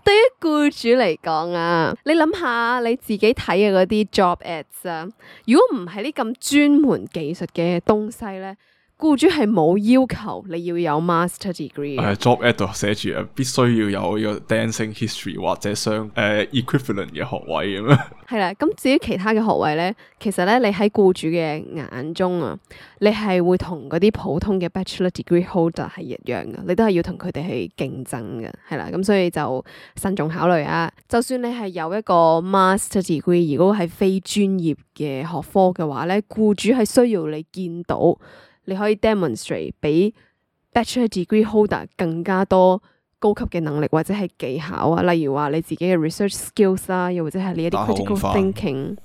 對於僱主嚟講啊，你諗下你自己睇嘅嗰啲 job ads 啊，如果唔係呢咁專門技術嘅東西咧，僱主係冇要求你要有 master degree 嘅。
誒 job ad 度寫住啊，必須要有呢個 dancing history 或者相誒、呃、equivalent 嘅學位咁樣。
係啦，咁至於其他嘅學位咧，其實咧你喺僱主嘅眼中啊，你係會同嗰啲普通嘅 bachelor degree holder 係一樣嘅，你都係要同佢哋去競爭嘅，係啦，咁所以就慎重考慮啊。就算你係有一個 master degree，如果係非專業嘅學科嘅話咧，僱主係需要你見到。你可以 demonstrate 比 bachelor degree holder 更加多高級嘅能力或者係技巧啊，例如話你自己嘅 research skills 啦，又或者係你一啲 critical thinking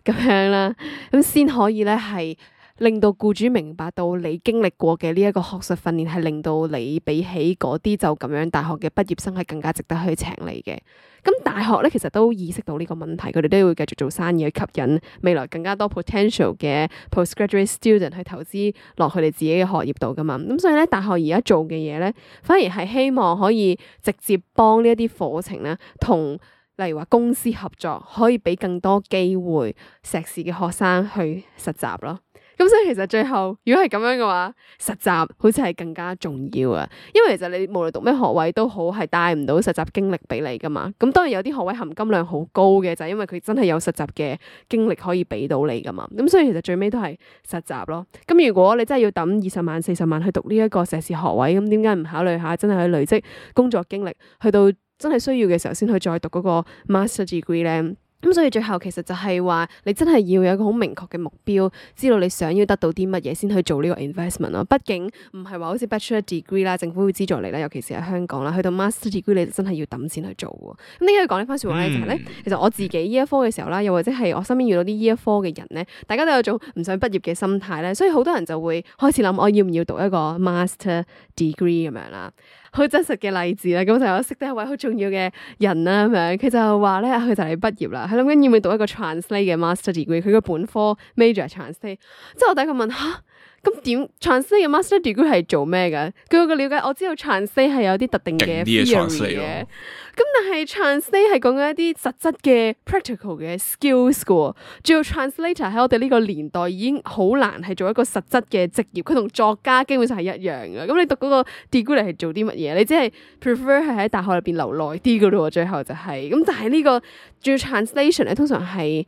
咁樣啦，咁先可以咧係令到僱主明白到你經歷過嘅呢一個學術訓練係令到你比起嗰啲就咁樣大學嘅畢業生係更加值得去請你嘅。咁大學咧其實都意識到呢個問題，佢哋都要繼續做生意去吸引未來更加多 potential 嘅 postgraduate student 去投資落佢哋自己嘅學業度噶嘛。咁所以咧大學而家做嘅嘢咧，反而係希望可以直接幫呢一啲課程咧，同例如話公司合作，可以俾更多機會碩士嘅學生去實習咯。咁所以其實最後如果係咁樣嘅話，實習好似係更加重要啊，因為其實你無論讀咩學位都好，係帶唔到實習經歷俾你噶嘛。咁當然有啲學位含金量好高嘅，就係因為佢真係有實習嘅經歷可以俾到你噶嘛。咁所以其實最尾都係實習咯。咁如果你真係要抌二十萬四十萬去讀呢一個碩士學位，咁點解唔考慮下真係去累積工作經歷，去到真係需要嘅時候先去再讀嗰個 master degree 咧？咁所以最後其實就係話，你真係要有一個好明確嘅目標，知道你想要得到啲乜嘢先去做呢個 investment 咯。畢竟唔係話好似 bachelor degree 啦，政府會資助你啦，尤其是喺香港啦，去到 master degree 你真係要揼錢去做喎。咁點解要講呢番説話咧？就係咧，其實我自己呢一科嘅時候啦，又或者係我身邊遇到啲呢一科嘅人咧，大家都有種唔想畢業嘅心態咧，所以好多人就會開始諗我要唔要讀一個 master degree 咁樣啦。好真實嘅例子啦，咁就我識得一位好重要嘅人啦，咁樣佢就話咧，佢就嚟畢業啦，佢諗緊要唔要讀一個 translate 嘅 master degree，佢個本科 major translate，即係我第一個問吓。咁點 translate 嘅 master degree 係做咩嘅？據我嘅了解，我知道 translate 係有啲特定嘅 theory 嘅，咁但係 translate 係講緊一啲實質嘅 practical 嘅 skills 嘅喎。仲有 translator 喺我哋呢個年代已經好難係做一個實質嘅職業，佢同作家基本上係一樣嘅。咁你讀嗰個 degree 嚟係做啲乜嘢？你只係 prefer 係喺大學入邊留耐啲嘅咯喎。最後就係、是、咁，但係呢個仲要 translation 咧，通常係。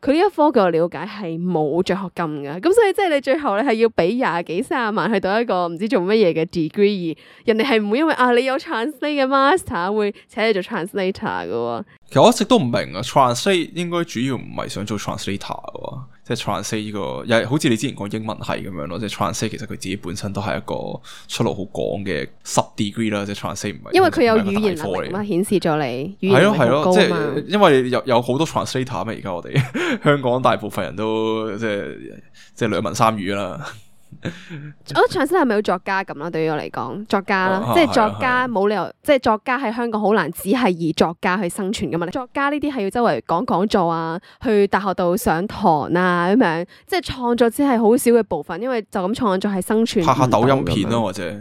佢呢一科據我了解係冇獎學金嘅，咁所以即係你最後咧係要俾廿幾三十萬去讀一個唔知做乜嘢嘅 degree， 人哋係唔會因為啊你有 translate 嘅 master 會請你做 translator 嘅喎。
其實我一直都唔明啊 ，translate 應該主要唔係想做 translator 嘅，即係 translate 呢個又係好似你之前講英文系咁樣咯，即係 translate 其實佢自己本身都係一個出路好廣嘅 sub degree 啦，即係 translate 唔係
因為佢有語言能力嘛，顯示咗你語言能力好高嘛。係咯係咯，即係因
為有有好多 translator 啊嘛，而家我哋香港大部分人都即係即係兩文三語啦。
我覺得 translate 係咪好作家咁啦？對於我嚟講，作家啦，
啊、
即係作家冇理由，即係作家喺香港好難只係以作家去生存噶嘛。作家呢啲係要周圍講講座啊，去大學度上堂啊咁樣，即係創作只係好少嘅部分，因為就咁創作係生存。拍下抖音片咯，或者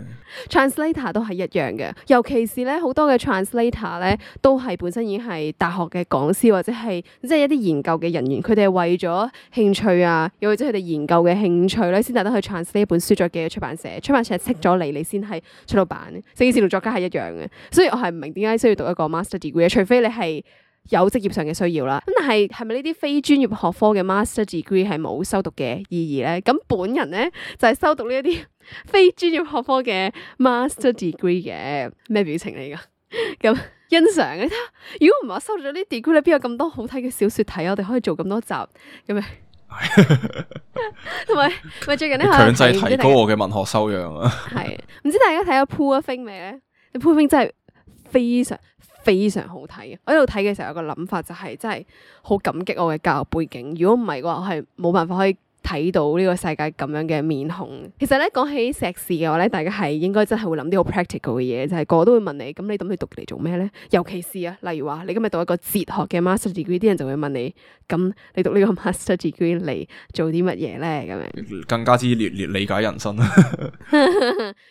translator 都係一樣嘅，尤其是咧好多嘅 translator 咧都係本身已經係大學嘅講師或者係即係一啲研究嘅人員，佢哋係為咗興趣啊，又或者佢哋研究嘅興趣咧，先得得去 translate 呢本書再寄去出版社，出版社識咗你，你先係出到版。成件事同作家係一樣嘅，所以我係唔明點解需要讀一個 master degree， 除非你係有職業上嘅需要啦。咁但係係咪呢啲非專業學科嘅 master degree 係冇修讀嘅意義咧？咁本人咧就係、是、修讀呢一啲非專業學科嘅 master degree 嘅。咩表情嚟㗎？咁欣賞嘅。如果唔係我修讀咗啲 degree 咧，邊有咁多好睇嘅小說睇？我哋可以做咁多集咁樣。同埋咪最近咧強
制提高我嘅文學修養啊！係
唔知大家睇咗 Poor Things 未咧？你 Poor Things 真係非常非常好睇嘅。我喺度睇嘅時候有個諗法就係、是、真係好感激我嘅教育背景。如果唔係嘅話，我係冇辦法可以睇到呢個世界咁樣嘅面孔。其實咧講起碩士嘅話咧，大家係應該真係會諗啲好 practical 嘅嘢，就係、是、個個都會問你，咁你諗你讀嚟做咩咧？尤其是啊，例如話你今日讀一個哲學嘅 master degree，啲人就會問你，咁你讀呢個 master degree 嚟做啲乜嘢咧？咁樣
更加之烈烈理解人生。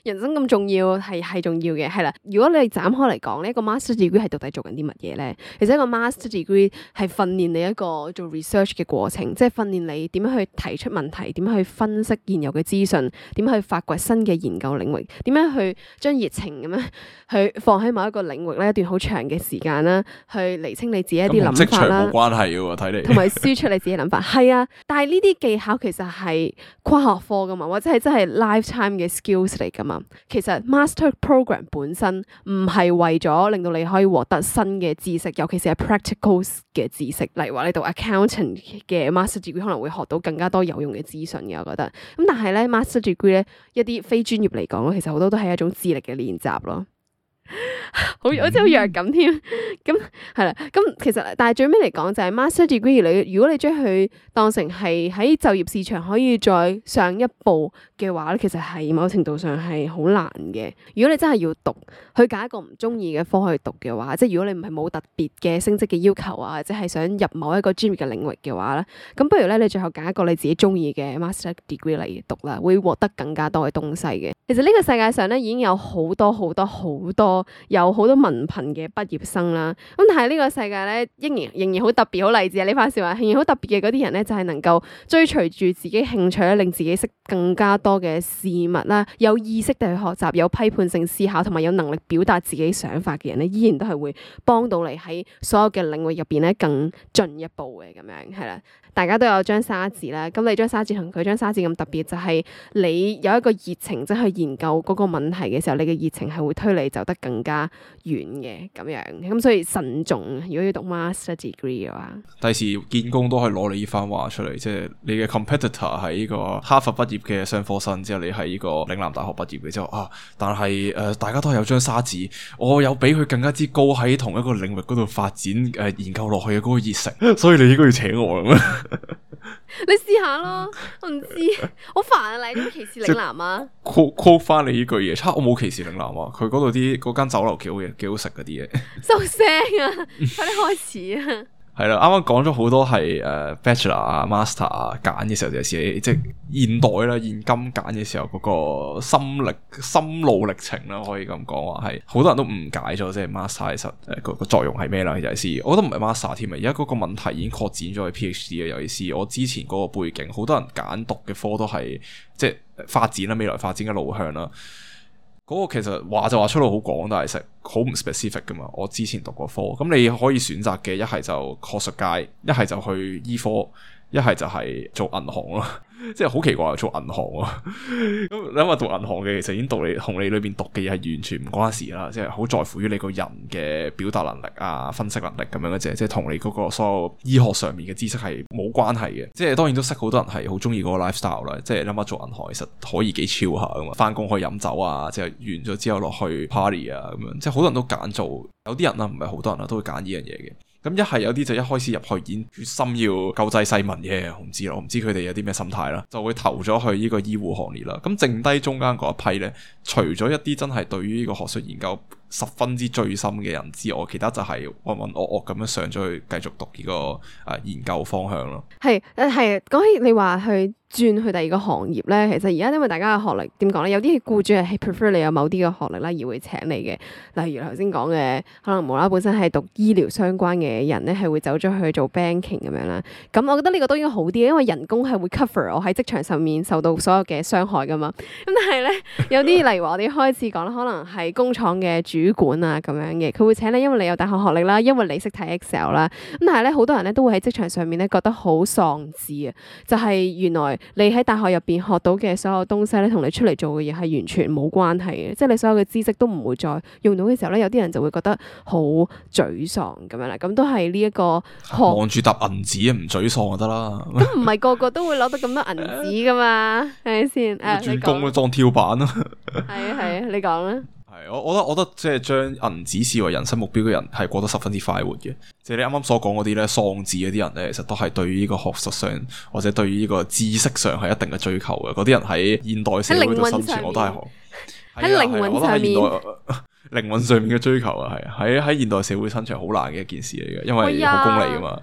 人生咁重要係係重要嘅，係啦。如果你斬開嚟講呢一個 master degree 係到底做緊啲乜嘢咧？其實一個 master degree 係訓練你一個做 research 嘅過程，即係訓練你點樣去提出問題，點樣去分析現有嘅資訊，點樣去發掘新嘅研究領域，點樣去將熱情咁樣去放喺某一個領域咧一段好長嘅時間啦，去釐清你自己一啲諗法啦。
冇關係嘅喎，睇嚟。
同埋輸出你自己諗法，係啊。但係呢啲技巧其實係跨學科噶嘛，或者係真係 lifetime 嘅 skills 嚟噶嘛。其實 master program 本身唔係為咗令到你可以獲得新嘅知識，尤其是係 practical 嘅知識。例如話你讀 accountant 嘅 master degree 可能會學到更加多有用嘅資訊嘅，我覺得。咁但係咧 master degree 咧一啲非專業嚟講咧，其實好多都係一種智力嘅練習咯。好，好似好弱咁添，咁係啦，咁其實但係最尾嚟講就係 master degree，你如果你將佢當成係喺就業市場可以再上一步嘅話咧，其實係某程度上係好難嘅。如果你真係要讀，去揀一個唔中意嘅科去讀嘅話，即係如果你唔係冇特別嘅升職嘅要求啊，或者係想入某一個專業嘅領域嘅話咧，咁不如咧你最後揀一個你自己中意嘅 master degree 嚟讀啦，會獲得更加多嘅東西嘅。其實呢個世界上咧已經有好多好多好多有好多文憑嘅畢業生啦，咁但係呢個世界咧仍然仍然好特別好勵志啊！呢番說話仍然好特別嘅嗰啲人咧就係能夠追隨住自己興趣咧，令自己識更加多嘅事物啦，有意識地去學習，有批判性思考同埋有能力表達自己想法嘅人咧，依然都係會幫到你喺所有嘅領域入邊咧更進一步嘅咁樣係啦。大家都有張沙紙啦，咁你張沙紙同佢張沙紙咁特別，就係你有一個熱情，即係去研究嗰個問題嘅時候，你嘅熱情係會推你走得更加遠嘅咁樣。咁所以慎重，如果要讀 master degree 嘅話，
第時見工都可以攞你呢番話出嚟，即係你嘅 competitor 係呢個哈佛畢業嘅商科生，之後你係呢個嶺南大學畢業嘅之後啊，但係誒、呃、大家都係有張沙紙，我有比佢更加之高喺同一個領域嗰度發展誒、呃、研究落去嘅嗰個熱誠，所以你應該要請我咁樣。
你試下咯，我唔知，好煩啊！你點歧視嶺南啊
？quote quote 翻你呢句嘢，差我冇歧視嶺南啊！佢嗰度啲嗰間酒樓幾好嘢，幾好食嗰啲嘢。
收聲啊！快啲開始啊！
係啦，啱啱講咗好多係誒、uh, Bachelor 啊、Master 啊揀嘅時候，就係即係現代啦、現今揀嘅時候嗰個心力、心路歷程啦，可以咁講話係好多人都誤解咗，即係 Master 其實誒個個作用係咩啦？尤其是我覺得唔係 Master 添啊，而家嗰個問題已經擴展咗去 PhD 啊，尤其是我之前嗰個背景，好多人揀讀嘅科都係即係發展啦、未來發展嘅路向啦。嗰個其實話就話出路好廣，但係實好唔 specific 噶嘛。我之前讀過科，咁你可以選擇嘅一係就學術界，一係就去醫科，一係就係做銀行咯。即係好奇怪，做銀行啊！咁你諗下讀銀行嘅，其實已經讀你同你裏邊讀嘅嘢係完全唔關事啦。即係好在乎於你個人嘅表達能力啊、分析能力咁樣嘅啫。即係同你嗰個所有醫學上面嘅知識係冇關係嘅。即係當然都識好多人係好中意嗰個 lifestyle 啦。即係諗下做銀行其實可以幾 chill 下噶嘛，翻工可以飲酒啊，即係完咗之後落去 party 啊咁樣。即係好多人都揀做，有啲人啦，唔係好多人啦，都會揀呢樣嘢嘅。咁一係有啲就一開始入去已經決心要救濟世民嘅，我唔知啦，我唔知佢哋有啲咩心態啦，就會投咗去呢個醫護行列啦。咁剩低中間嗰一批咧，除咗一啲真係對於呢個學術研究十分之醉心嘅人之外，其他就係渾渾噩噩咁樣上咗去繼續讀呢、這個誒、呃、研究方向咯。係
誒係講起你話去轉去第二個行業咧，其實而家因為大家嘅學歷點講咧，有啲僱主係 prefer 你有某啲嘅學歷啦，而會請你嘅。例如頭先講嘅，可能無啦啦本身係讀醫療相關嘅人咧，係會走咗去做 banking 咁樣啦。咁我覺得呢個都應該好啲，因為人工係會 cover 我喺職場上面受到所有嘅傷害噶嘛。咁但係咧，有啲例如話我哋開始講啦，可能係工廠嘅主管啊咁樣嘅，佢會請你，因為你有大學學歷啦，因為你識睇 Excel 啦。咁但係咧，好多人咧都會喺職場上面咧覺得好喪志啊，就係、是、原來你喺大學入邊學到嘅所有東西咧，同你出嚟做嘅嘢係完全冇關係嘅，即係你所有嘅知識都唔會再用到嘅時候咧，有啲人就會覺得好沮喪咁樣啦。咁都係呢一個
望住沓銀紙唔沮喪就得啦。
咁唔係個個都會攞到咁多銀紙噶嘛，係咪先？誒，
轉工都裝跳板咯。
係啊係啊，你講啦。
係係，我我覺得我覺得即係將銀紙視為人生目標嘅人係過得十分之快活嘅。即係你啱啱所講嗰啲咧喪志嗰啲人咧，其實都係對於呢個學術上或者對於呢個知識上係一定嘅追求嘅。嗰啲人喺現代社會度生存，我都係
喺靈魂上面。
靈魂上面嘅追求啊，係喺喺現代社會生存好難嘅一件事嚟嘅，因為好功利噶嘛。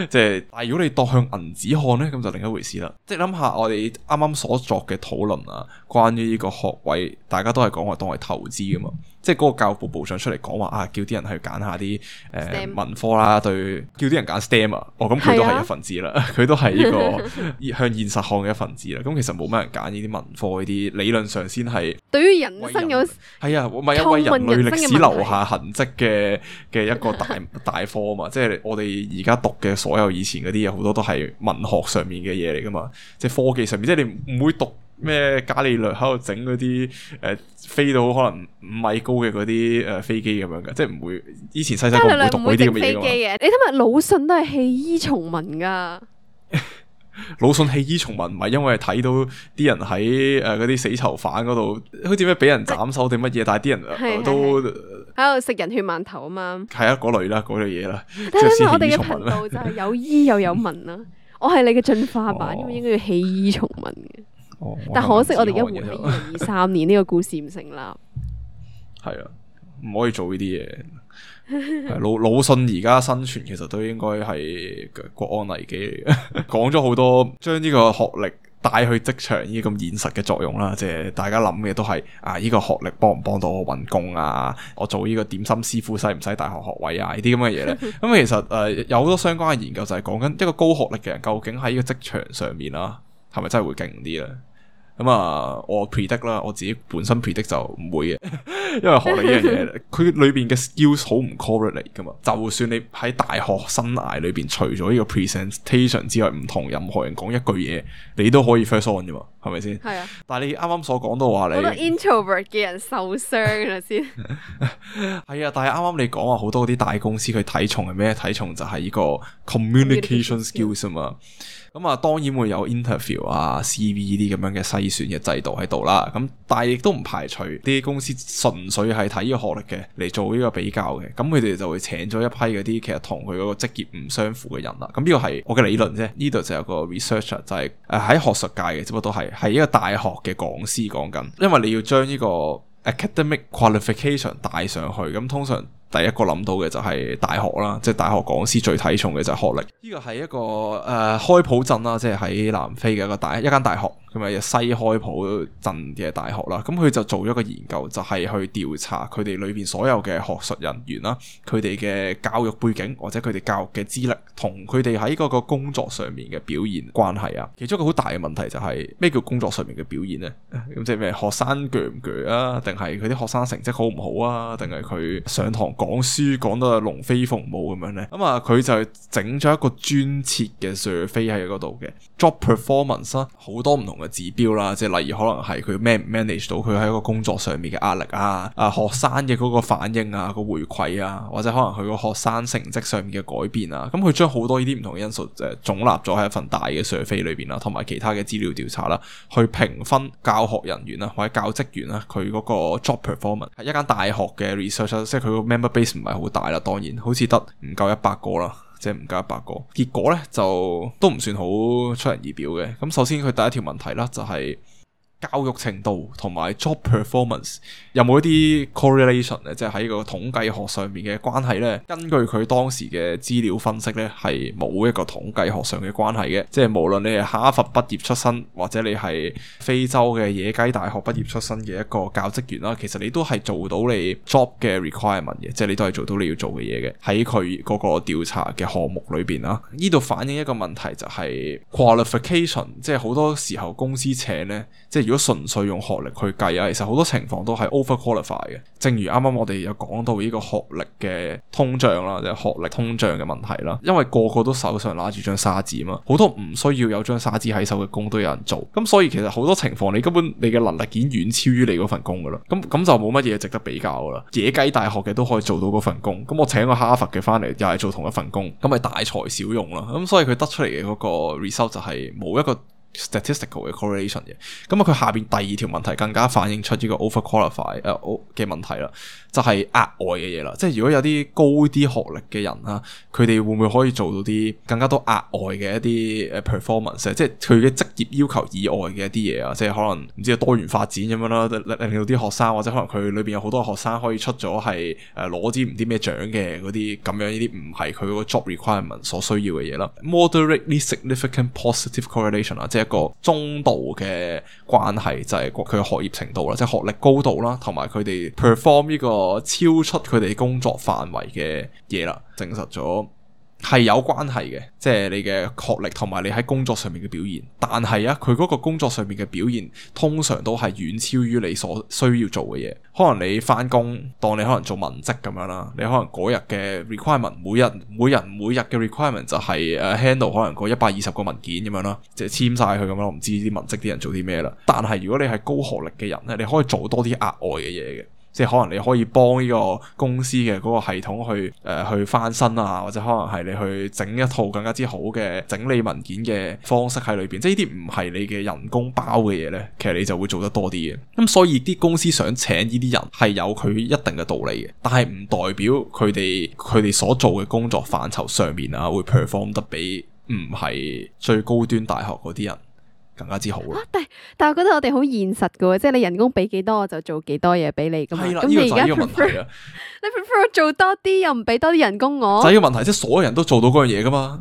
即係，但係如果你當向銀紙看咧，咁就另一回事啦。即係諗下我哋啱啱所作嘅討論啊，關於呢個學位，大家都係講話當係投資噶嘛。即係嗰個教育部部長出嚟講話啊，叫啲人去揀下啲誒、呃、
STEM
文科啦，對，叫啲人揀 STEM 啊。哦，咁佢都係一份子啦，佢、啊、都係呢個向現實看嘅一份子啦。咁其實冇乜人揀呢啲文科呢啲，理論上先係
對於人生有
係啊，唔係一為人類歷史留下痕跡嘅嘅一個大大科啊嘛。即係我哋而家讀嘅所有以前嗰啲嘢，好多都係文學上面嘅嘢嚟噶嘛。即係科技上面，即係你唔會讀咩伽利略喺度整嗰啲誒飛到可能五米高嘅嗰啲誒飛機咁樣嘅，即係唔會。以前細細個唔會讀呢啲咁嘅嘢嘅。
你睇下魯迅都係棄醫從文噶。
魯迅棄醫從文唔係因為睇到啲人喺誒嗰啲死囚犯嗰度，好似咩俾人斬手定乜嘢，但係啲人、呃、都
喺度食人血饅頭啊嘛。
係啊，嗰類啦，嗰類嘢啦。
但係我哋嘅頻道就係有醫又有文啦。我係你嘅進化版，因為、哦、應該要棄醫從文嘅。哦、但可惜我哋而家活喺二零二三年，呢個故事唔成立。
係啊，唔可以做呢啲嘢。魯魯迅而家生存其實都應該係國安危機嚟嘅。講咗好多將呢個學歷帶去職場呢咁現實嘅作用啦，即係大家諗嘅都係啊，呢個學歷幫唔幫到我搵工啊？我做呢個點心師傅使唔使大學學位啊？呢啲咁嘅嘢咧，咁其實誒、呃、有好多相關嘅研究就係講緊一個高學歷嘅人究竟喺呢個職場上面啦，係咪真係會勁啲咧？咁啊、嗯，我 predict 啦，我自己本身 predict 就唔會嘅，因為學歷呢樣嘢，佢裏邊嘅 skills 好唔 correlate 噶嘛。就算你喺大學生涯裏邊，除咗呢個 presentation 之外，唔同任何人講一句嘢，你都可以 first on 噶嘛，係咪先？係啊。但係你啱啱所講到話你，
好多 introvert 嘅人受傷啦先。
係啊，但係啱啱你講話好多啲大公司佢睇重係咩？睇重就係呢個 communication skills 啊嘛。咁啊，當然會有 interview 啊、C V 呢啲咁樣嘅篩選嘅制度喺度啦。咁但係亦都唔排除啲公司純粹係睇呢個學歷嘅嚟做呢個比較嘅。咁佢哋就會請咗一批嗰啲其實同佢嗰個職業唔相符嘅人啦。咁呢個係我嘅理論啫。呢度就有個 researcher 就係誒喺學術界嘅，只不過都係係一個大學嘅講師講緊。因為你要將呢個 academic qualification 帶上去，咁通常第一個諗到嘅就係大學啦，即係大學講師最睇重嘅就係學歷。呢個係一個誒、呃、開普鎮啦，即係喺南非嘅一個大一間大學，咁啊西開普鎮嘅大學啦。咁佢就做咗一個研究，就係、是、去調查佢哋裏邊所有嘅學術人員啦，佢哋嘅教育背景或者佢哋教育嘅資歷同佢哋喺嗰個工作上面嘅表現關係啊。其中一個好大嘅問題就係、是、咩叫工作上面嘅表現呢？咁即係咩？學生鋸唔鋸啊？定係佢啲學生成績好唔好啊？定係佢上堂講書講到龍飛鳳舞咁樣咧，咁啊佢就整咗一個專設嘅 survey 喺嗰度嘅 job performance 啦，好多唔同嘅指標啦，即係例如可能係佢 man 唔 manage 到佢喺一個工作上面嘅壓力啊，啊學生嘅嗰個反應啊，個回饋啊，或者可能佢個學生成績上面嘅改變啊，咁佢將好多呢啲唔同嘅因素誒總納咗喺一份大嘅 survey 裏邊啦，同埋其他嘅資料調查啦，去評分教學人員啊或者教職員啊佢嗰個 job performance。係一間大學嘅 research， 即係佢個 member base 唔係好大啦，當然好似得唔夠一百個啦，即係唔夠一百個。結果咧就都唔算好出人意表嘅。咁首先佢第一條問題啦，就係教育程度同埋 job performance 有冇一啲 correlation 咧，即係喺個統計學上面嘅關係咧？根據佢當時嘅資料分析咧，係冇一個統計學上嘅關係嘅。即係無論你係哈佛畢業出身，或者你係非洲嘅野雞大學畢業出身嘅一個教職員啦，其實你都係做到你 job 嘅 requirement 嘅，即係你都係做到你要做嘅嘢嘅。喺佢嗰個調查嘅項目裏邊啦，呢度反映一個問題就係 qualification， 即係好多時候公司請咧，即係如果純粹用學歷去計啊，其實好多情況都係 overqualify 嘅。正如啱啱我哋有講到呢個學歷嘅通脹啦，即係學歷通脹嘅問題啦。因為個個都手上拿住張沙紙嘛，好多唔需要有張沙紙喺手嘅工都有人做。咁所以其實好多情況你根本你嘅能力已經遠超於你嗰份工噶啦。咁咁就冇乜嘢值得比較噶啦。野雞大學嘅都可以做到嗰份工，咁我請個哈佛嘅翻嚟又係做同一份工，咁咪大材小用啦。咁所以佢得出嚟嘅嗰個 result 就係冇一個 statistical 嘅 correlation 嘅。咁啊，佢下邊第二條問題更加反映出呢個 overqualify 誒嘅問題啦，就係額外嘅嘢啦。即係如果有啲高啲學歷嘅人啦，佢哋會唔會可以做到啲更加多額外嘅一啲誒 performance，即係佢嘅職業要求以外嘅一啲嘢啊，即係可能唔知多元發展咁樣啦，令到啲學生或者可能佢裏邊有好多學生可以出咗係誒攞啲唔知咩獎嘅嗰啲咁樣，呢啲唔係佢嗰個 job requirement 所需要嘅嘢啦。Moderately significant positive correlation 啊，即係一個中度嘅關係，就係佢嘅學業程度啦，即係學歷高度啦，同埋佢哋 perform 呢個超出佢哋工作範圍嘅嘢啦，證實咗係有關係嘅，即係你嘅學歷同埋你喺工作上面嘅表現。但係啊，佢嗰個工作上面嘅表現通常都係遠超於你所需要做嘅嘢。可能你翻工，當你可能做文職咁樣啦，你可能嗰日嘅 requirement， 每日每人每日嘅 requirement 就係誒 handle 可能個一百二十個文件咁樣啦，即係簽晒佢咁樣。我唔知啲文職啲人做啲咩啦。但係如果你係高學歷嘅人咧，你可以做多啲額外嘅嘢嘅。即係可能你可以幫呢個公司嘅嗰個系統去誒、呃、去翻新啊，或者可能係你去整一套更加之好嘅整理文件嘅方式喺裏邊。即係呢啲唔係你嘅人工包嘅嘢咧，其實你就會做得多啲嘅。咁、嗯、所以啲公司想請呢啲人係有佢一定嘅道理嘅，但係唔代表佢哋佢哋所做嘅工作範疇上面啊會 perform 得比唔係最高端大學嗰啲人更加之好咯、啊。
但係但係我覺得我哋好現實噶喎，即係你人工俾幾多我就做幾多嘢俾你噶嘛。
係啦，
咁
呢個就係
你而家
呢個問題啊。
你 prefer 做多啲又唔俾多啲人工我？
就係呢個問題，即係所有人都做到嗰樣嘢噶嘛。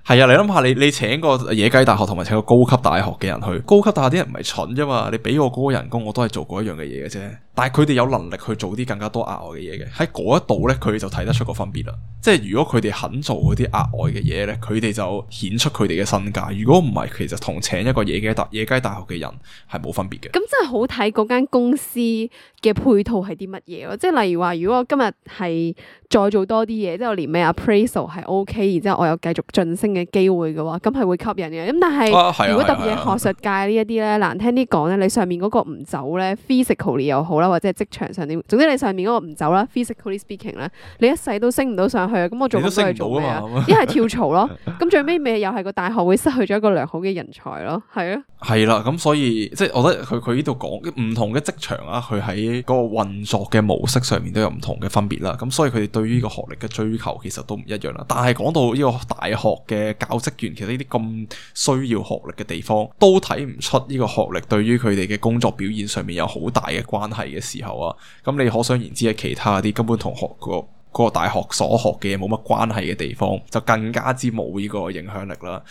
係啊，你諗下，你你請個野雞大學同埋請個高級大學嘅人去，高級大學啲人唔係蠢啫嘛，你俾我嗰個人工，我都係做嗰一樣嘅嘢嘅啫。但係佢哋有能力去做啲更加多額外嘅嘢嘅，喺嗰一度咧，佢哋就睇得出個分別啦。即係如果佢哋肯做嗰啲額外嘅嘢咧，佢哋就顯出佢哋嘅身價。如果唔係，其實同請一個野雞大野雞大學嘅人係冇分別嘅。
咁真係好睇嗰間公司嘅配套係啲乜嘢咯？即係例如話，如果我今日係再做多啲嘢，即係我年尾 appraisal 係 OK，然之後我有繼續晉升嘅機會嘅話，咁係會吸引嘅。咁但係、啊啊、如果特別係學術界呢一啲咧，難聽啲講咧，你上面嗰個唔走咧 physically 又好啦，或者係職場上點，總之你上面嗰個唔走啦 physically speaking 咧，你一世都升唔到上去啊！咁我做咁多嘢做咩啊？一係跳槽咯，咁最尾咪又係個大學會失去咗一個良好嘅人才咯，係啊。
係啦，咁所以即係我覺得佢佢呢度講唔同嘅職場啊，佢喺嗰個運作嘅模式上面都有唔同嘅分別啦。咁所以佢哋對於呢個學歷嘅追求其實都唔一樣啦。但係講到呢個大學嘅教職員，其實呢啲咁需要學歷嘅地方，都睇唔出呢個學歷對於佢哋嘅工作表現上面有好大嘅關係嘅時候啊，咁你可想而知喺其他啲根本同學個嗰個大學所學嘅嘢冇乜關係嘅地方，就更加之冇呢個影響力啦。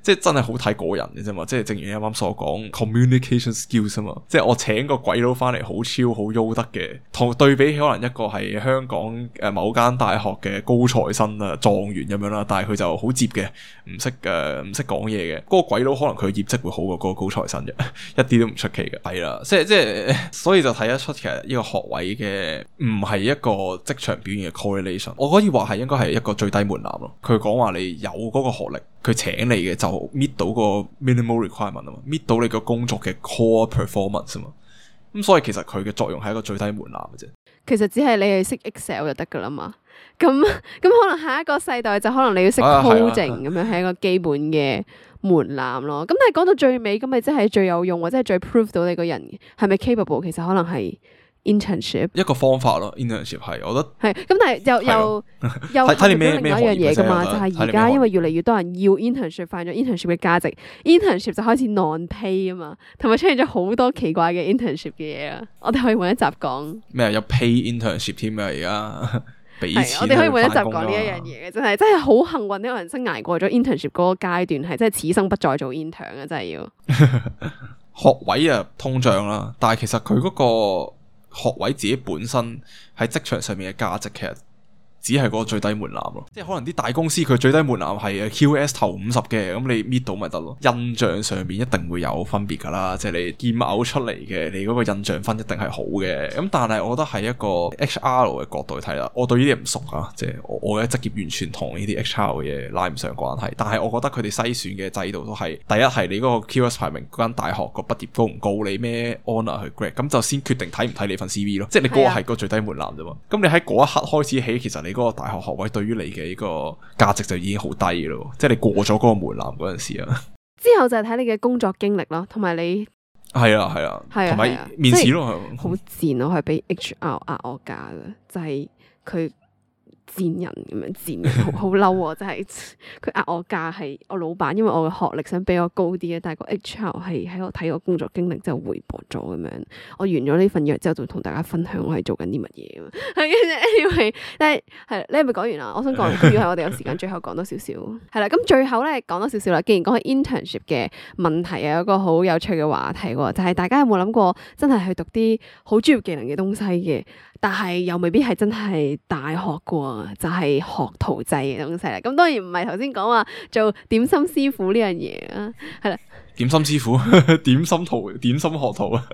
即係真係好睇個人嘅啫嘛，即係正如你啱啱所講 communication skills 啊嘛，即係我請個鬼佬翻嚟好超好優德嘅，同對比起可能一個係香港誒某間大學嘅高材生啊狀元咁樣啦，但係佢就好接嘅，唔識誒唔識講嘢嘅，嗰、嗰個鬼佬可能佢業績會好過嗰個高材生嘅，一啲都唔出奇嘅。係啦，即係即係，所以就睇得出其實呢個學位嘅唔係一個職場表現嘅 correlation， 我可以話係應該係一個最低門檻咯。佢講話你有嗰個學歷，佢請你嘅就搣到個 minimal requirement 啊嘛，搣到你個工作嘅 core performance 啊嘛，咁所以其實佢嘅作用係一個最低門檻嘅啫。
其實只係你係識 Excel 就得噶啦嘛，咁咁可能下一個世代就可能你要識 coding 咁樣係一個基本嘅門檻咯。咁但係講到最尾，咁咪即係最有用或者係最 prove 到你個人係咪 capable， 其實可能係internship
一個方法咯 ，internship 係，我覺得
係咁，但係又又又睇你咩另外一樣嘢噶嘛，就係而家因為越嚟越多人要 internship， 發現咗 internship 嘅價值 ，internship 就開始 non-pay 啊嘛，同埋出現咗好多奇怪嘅 internship 嘅嘢啊，我哋可以揾一集講
咩有 pay internship 添啊，而家俾錢
係我哋可以揾一集講呢一樣嘢嘅，真係真係好幸運呢個人生捱過咗 internship 嗰個階段，係真係此生不再做 intern 啊，真係要
學位啊通脹啦，但係其實佢嗰個學位自己本身喺職場上面嘅價值，其實只係嗰個最低門檻咯。即係可能啲大公司佢最低門檻係 Q S 頭五十嘅，咁你搣到咪得咯。印象上面一定會有分別噶啦，即係你劍嘔出嚟嘅，你嗰個印象分一定係好嘅。咁但係我覺得係一個 H R 嘅角度去睇啦，我對呢啲唔熟啊，即係我我嘅職業完全同呢啲 H R 嘅嘢拉唔上關係。但係我覺得佢哋篩選嘅制度都係第一係你嗰個 Q S 排名嗰間大學個畢業高唔高，你咩 honour 去 grad， 咁就先決定睇唔睇你份 C V 咯。即係你嗰個係個最低門檻啫嘛。咁你喺嗰一刻開始起，其實你嗰個大學學位對於你嘅呢個價值就已經好低咯，即係你過咗嗰個門檻嗰陣時啊。
之後就係睇你嘅工作經歷咯，同埋你
係啊係啊，同埋面試咯，
好賤咯，係俾 H R 壓我價嘅，就係佢。賤人咁樣賤人，好好嬲喎！真係佢壓我價係我老闆，因為我嘅學歷想比我高啲嘅，但係個 H R 係喺我睇我工作經歷之後回駁咗咁樣。我完咗呢份約之後，就同大家分享我係做緊啲乜嘢啊！係跟住 anyway，但係係你係咪講完啦？我想講，如果係我哋有時間，最後講多少少係啦。咁最後咧講多少少啦。既然講起 internship 嘅問題啊，有一個好有趣嘅話題喎，就係、是、大家有冇諗過真係去讀啲好專業技能嘅東西嘅？但係又未必係真係大學嘅，就係、是、學徒制嘅東西啦。咁當然唔係頭先講話做點心師傅呢樣嘢啊，係啦。
點心師傅，點心徒，點心學徒啊！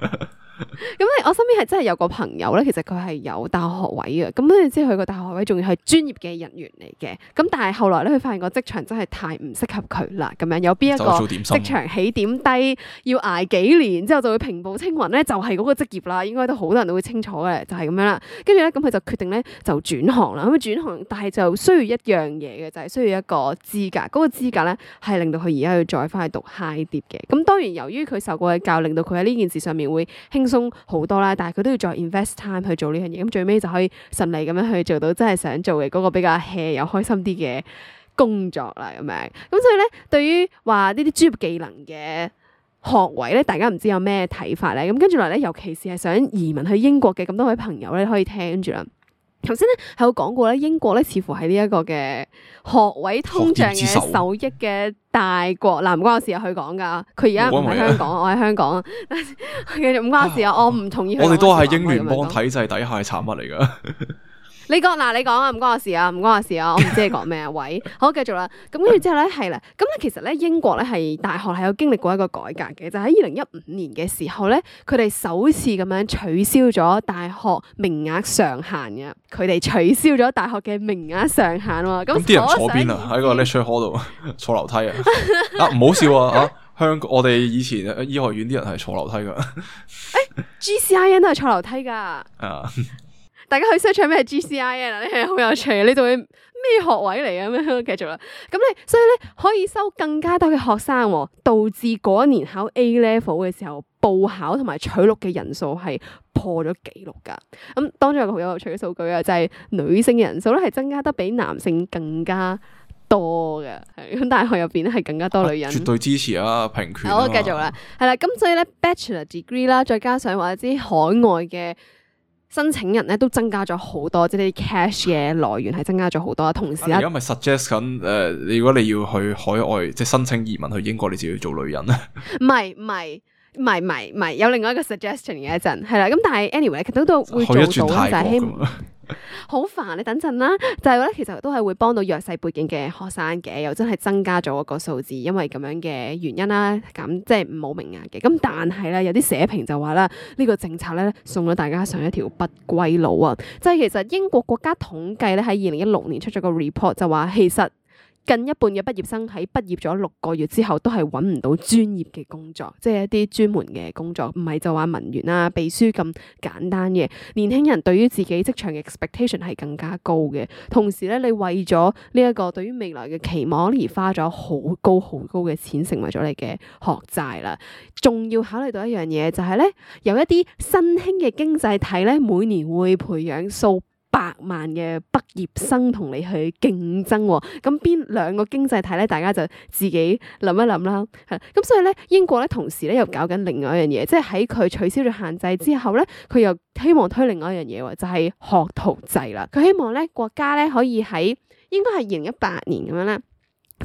咁咧，我身邊係真係有個朋友咧，其實佢係有大學學位嘅，咁跟住之後佢個大學學位仲要係專業嘅人員嚟嘅。咁但係後來咧，佢發現個職場真係太唔適合佢啦。咁樣有邊一個職場起點低，要捱幾年之後就會平步青雲咧，就係嗰個職業啦。應該都好多人都會清楚嘅，就係咁樣啦。跟住咧，咁佢就決定咧就轉行啦。咁轉行，但係就需要一樣嘢嘅，就係需要一個資格。嗰個資格咧係令到佢而家要再翻去讀 high dip 嘅。咁當然由於佢受過嘅教，令到佢喺呢件事上面會輕鬆好多啦，但係佢都要再 invest time 去做呢樣嘢，咁最尾就可以順利咁樣去做到真係想做嘅嗰個比較 hea 又開心啲嘅工作啦，咁樣。咁所以咧，對於話呢啲專業技能嘅學位咧，大家唔知有咩睇法咧？咁跟住落嚟咧，尤其是係想移民去英國嘅咁多位朋友咧，可以聽住啦。頭先咧係有講過咧，英國咧似乎係呢一個嘅學位通脹嘅受益嘅大國。嗱，唔關我事啊，佢講噶，佢而家唔喺香港，我喺香港，繼續唔關我事啊，我唔同意。
我哋都係英聯邦體制底下嘅產物嚟噶。
你講嗱，你講啊，唔關我事啊，唔關我事啊，我唔知你講咩啊。喂，好，繼續啦。咁跟住之後咧，係啦，咁咧其實咧英國咧係大學係有經歷過一個改革嘅，就喺二零一五年嘅時候咧，佢哋首次咁樣取消咗大學名額上限嘅，佢哋取消咗大學嘅名額上限喎。咁
啲人坐邊啊？喺個 lecture hall 度坐樓梯啊？啊，唔好笑啊！啊，香港我哋以前醫學院啲人係坐樓梯噶。
誒，G C I N 都係坐樓梯噶。啊。大家去 search 咩係 G C I N 啊？呢係好有趣，你仲會咩學位嚟啊？咁樣繼續啦。咁你所以咧可以收更加多嘅學生，導致嗰一年考 A level 嘅時候報考同埋取錄嘅人數係破咗紀錄噶。咁當中有個好有趣嘅數據啊，就係、是、女性嘅人數咧係增加得比男性更加多嘅。係咁大學入邊咧係更加多女人。啊、絕
對支持啊，平權、啊。
好，繼續啦。係啦，咁所以咧 Bachelor degree 啦，再加上或者啲海外嘅申請人咧都增加咗好多，即係啲 cash 嘅來源係增加咗好多。同時咧，
而家咪 suggest 緊誒，如果你要去海外即係申請移民去英國，你就要做女人咧？
唔係唔係唔係唔係唔係，有另外一個 suggestion 嘅一陣係啦。咁但係 anyway，其實都會做到就係希望。好煩，你等陣啦。就係咧，其實都係會幫到弱勢背景嘅學生嘅，又真係增加咗個數字，因為咁樣嘅原因啦，咁即係冇名額嘅。咁但係咧，有啲社評就話啦，呢個政策咧送咗大家上一條不歸路啊！即係其實英國國家統計咧喺二零一六年出咗個 report 就話，其實近一半嘅畢業生喺畢業咗六個月之後都係揾唔到專業嘅工作，即係一啲專門嘅工作，唔係就話文員啊、秘書咁簡單嘅。年輕人對於自己職場嘅 expectation 係更加高嘅，同時咧，你為咗呢一個對於未來嘅期望而花咗好高好高嘅錢，成為咗你嘅學債啦。仲要考慮到一樣嘢，就係咧，有一啲新興嘅經濟體咧，每年會培養數百萬嘅畢業生同你去競爭，咁邊兩個經濟體咧？大家就自己諗一諗啦。係咁，所以咧，英國咧同時咧又搞緊另外一樣嘢，即係喺佢取消咗限制之後咧，佢又希望推另外一樣嘢，就係學徒制啦。佢希望咧國家咧可以喺應該係二零一八年咁樣咧，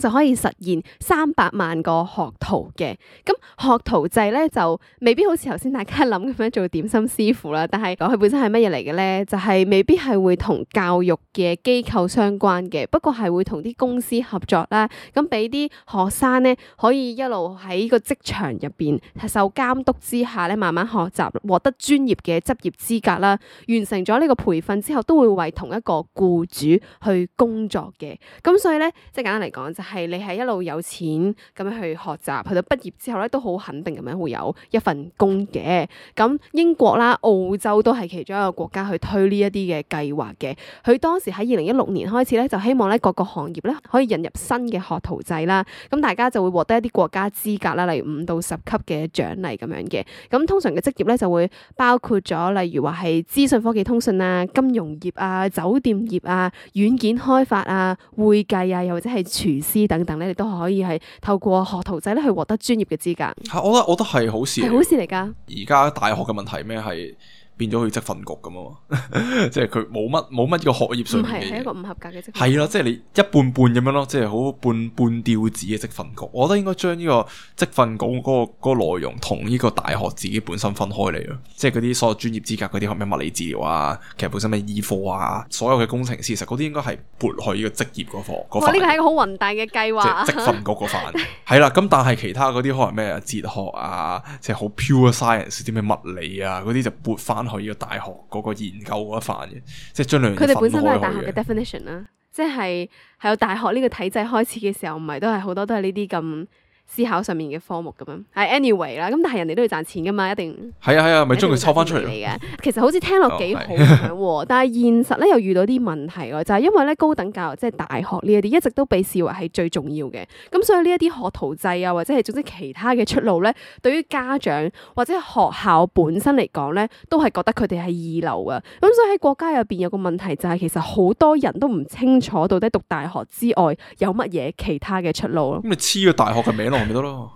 就可以實現三百萬個學徒嘅。咁學徒制咧就未必好似頭先大家諗咁樣做點心師傅啦，但係講佢本身係乜嘢嚟嘅咧？就係、是、未必係會同教育嘅機構相關嘅，不過係會同啲公司合作啦。咁俾啲學生咧可以一路喺個職場入邊受監督之下咧，慢慢學習，獲得專業嘅執業資格啦。完成咗呢個培訓之後，都會為同一個僱主去工作嘅。咁所以咧，即係簡單嚟講就係你係一路有錢咁樣去學習，去到畢業之後咧都好肯定咁樣會有一份工嘅。咁英國啦、澳洲都係其中一個國家去推呢一啲嘅計劃嘅。佢當時喺二零一六年開始咧，就希望咧各個行業咧可以引入新嘅學徒制啦。咁大家就會獲得一啲國家資格啦，例如五到十級嘅獎勵咁樣嘅。咁通常嘅職業咧就會包括咗，例如話係資訊科技通訊啊、金融業啊、酒店業啊、軟件開發啊、會計啊，又或者係廚師等等咧，你都可以係透過學徒制咧去獲得專業嘅資格。
係，我覺得我覺得係好事，
係好事嚟㗎。
而家大學嘅問題咩係？變咗去職訓局咁啊嘛，即係佢冇乜冇乜呢個學業上面嘅嘢，
唔係係一個唔合格嘅職訓局。
係啦，即係你一半半咁樣咯，即係好半半吊子嘅職訓局。我覺得應該將呢個職訓局嗰個嗰個內容同呢個大學自己本身分開嚟咯。即係嗰啲所有專業資格嗰啲，學咩物理治療啊，其實本身咩醫科啊，所有嘅工程師，其實嗰啲應該係撥去呢個職業嗰課。
哇！呢個係一個好宏大嘅計劃。
即係職訓局嗰範係啦。咁但係其他嗰啲可能咩哲學啊，即係好 pure science 啲咩物理啊嗰啲就撥翻去呢個大學嗰個研究嗰一範嘅，即係將兩樣嘢分開去嘅。佢哋本身都係大學嘅
definition 啦，即係係有大學呢個體制開始嘅時候，唔係都係好多都係呢啲咁思考上面嘅科目咁樣，係 anyway 啦。咁但係人哋都要賺錢噶嘛，一定
係啊係啊，咪將佢抽翻出嚟
嘅。其實好似聽落幾好咁樣，但係現實咧又遇到啲問題喎，就係因為咧高等教育即係大學呢一啲一直都被視為係最重要嘅。咁所以呢一啲學徒制啊，或者係總之其他嘅出路咧，對於家長或者學校本身嚟講咧，都係覺得佢哋係二流啊。咁所以喺國家入邊有個問題就係，其實好多人都唔清楚到底讀大學之外有乜嘢其他嘅出路咯。
咁你黐個大學嘅名咪得咯，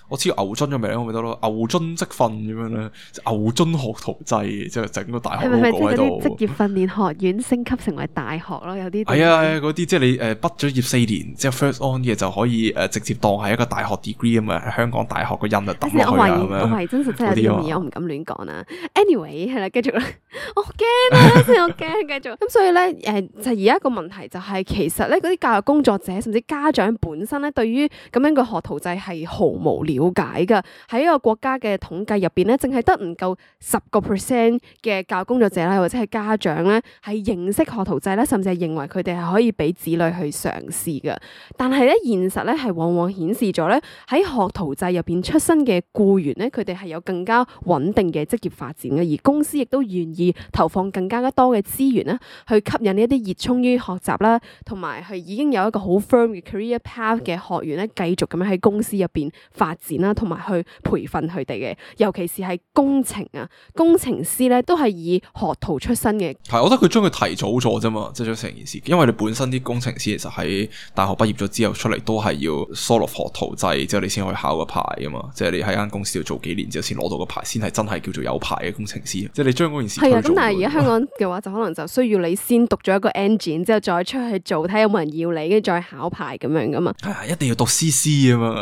我知牛津嘅名咪得咯，牛津職訓咁樣咧，牛津學徒制，即係整個大學 logo 喺度。
係咪即係嗰啲職業訓練學院升級成為大學咯？有啲
係啊，嗰啲即係你誒畢咗業四年之後 first on 嘅就可以誒直接當係一個大學 degree 咁啊，香港大學個印就抌落去啊咁樣。
我懷疑真實真係有啲咁嘅嘢，我唔敢亂講啦。Anyway 係啦，繼續啦，我驚啊，先我驚，繼續。咁所以咧誒，就而家一個問題就係，其實咧嗰啲教育工作者甚至家長本身咧，對於咁樣嘅學徒制係毫無了解噶。喺一個國家嘅統計入邊咧，淨係得唔夠十個 percent 嘅教育工作者啦，或者係家長咧，係認識學徒制咧，甚至係認為佢哋係可以俾子女去嘗試噶。但係咧，現實咧係往往顯示咗咧，喺學徒制入邊出身嘅僱員咧，佢哋係有更加穩定嘅職業發展嘅，而公司亦都願意投放更加多嘅資源咧，去吸引呢一啲熱衷於學習啦，同埋係已經有一個好 firm 嘅 career path 嘅學員咧，繼續咁樣喺公司入邊發展啦，同埋去培訓佢哋嘅，尤其是係工程啊，工程師咧都係以學徒出身嘅。
係，我覺得佢將佢提早咗啫嘛，即係將成件事，因為你本身啲工程師其實喺大學畢業咗之後出嚟都係要 sort of 學徒制，之後你先可以考個牌噶嘛，即係你喺間公司度做幾年之後先攞到個牌，先係真係叫做有牌嘅工程師。即係你將嗰件事推早咗。係啊，咁但係而家香港嘅話就可能就需要你先讀咗一個 engine 之後再出去做，睇有冇人要你，跟住再考牌咁樣噶嘛。係啊，一定要讀 C C 啊嘛，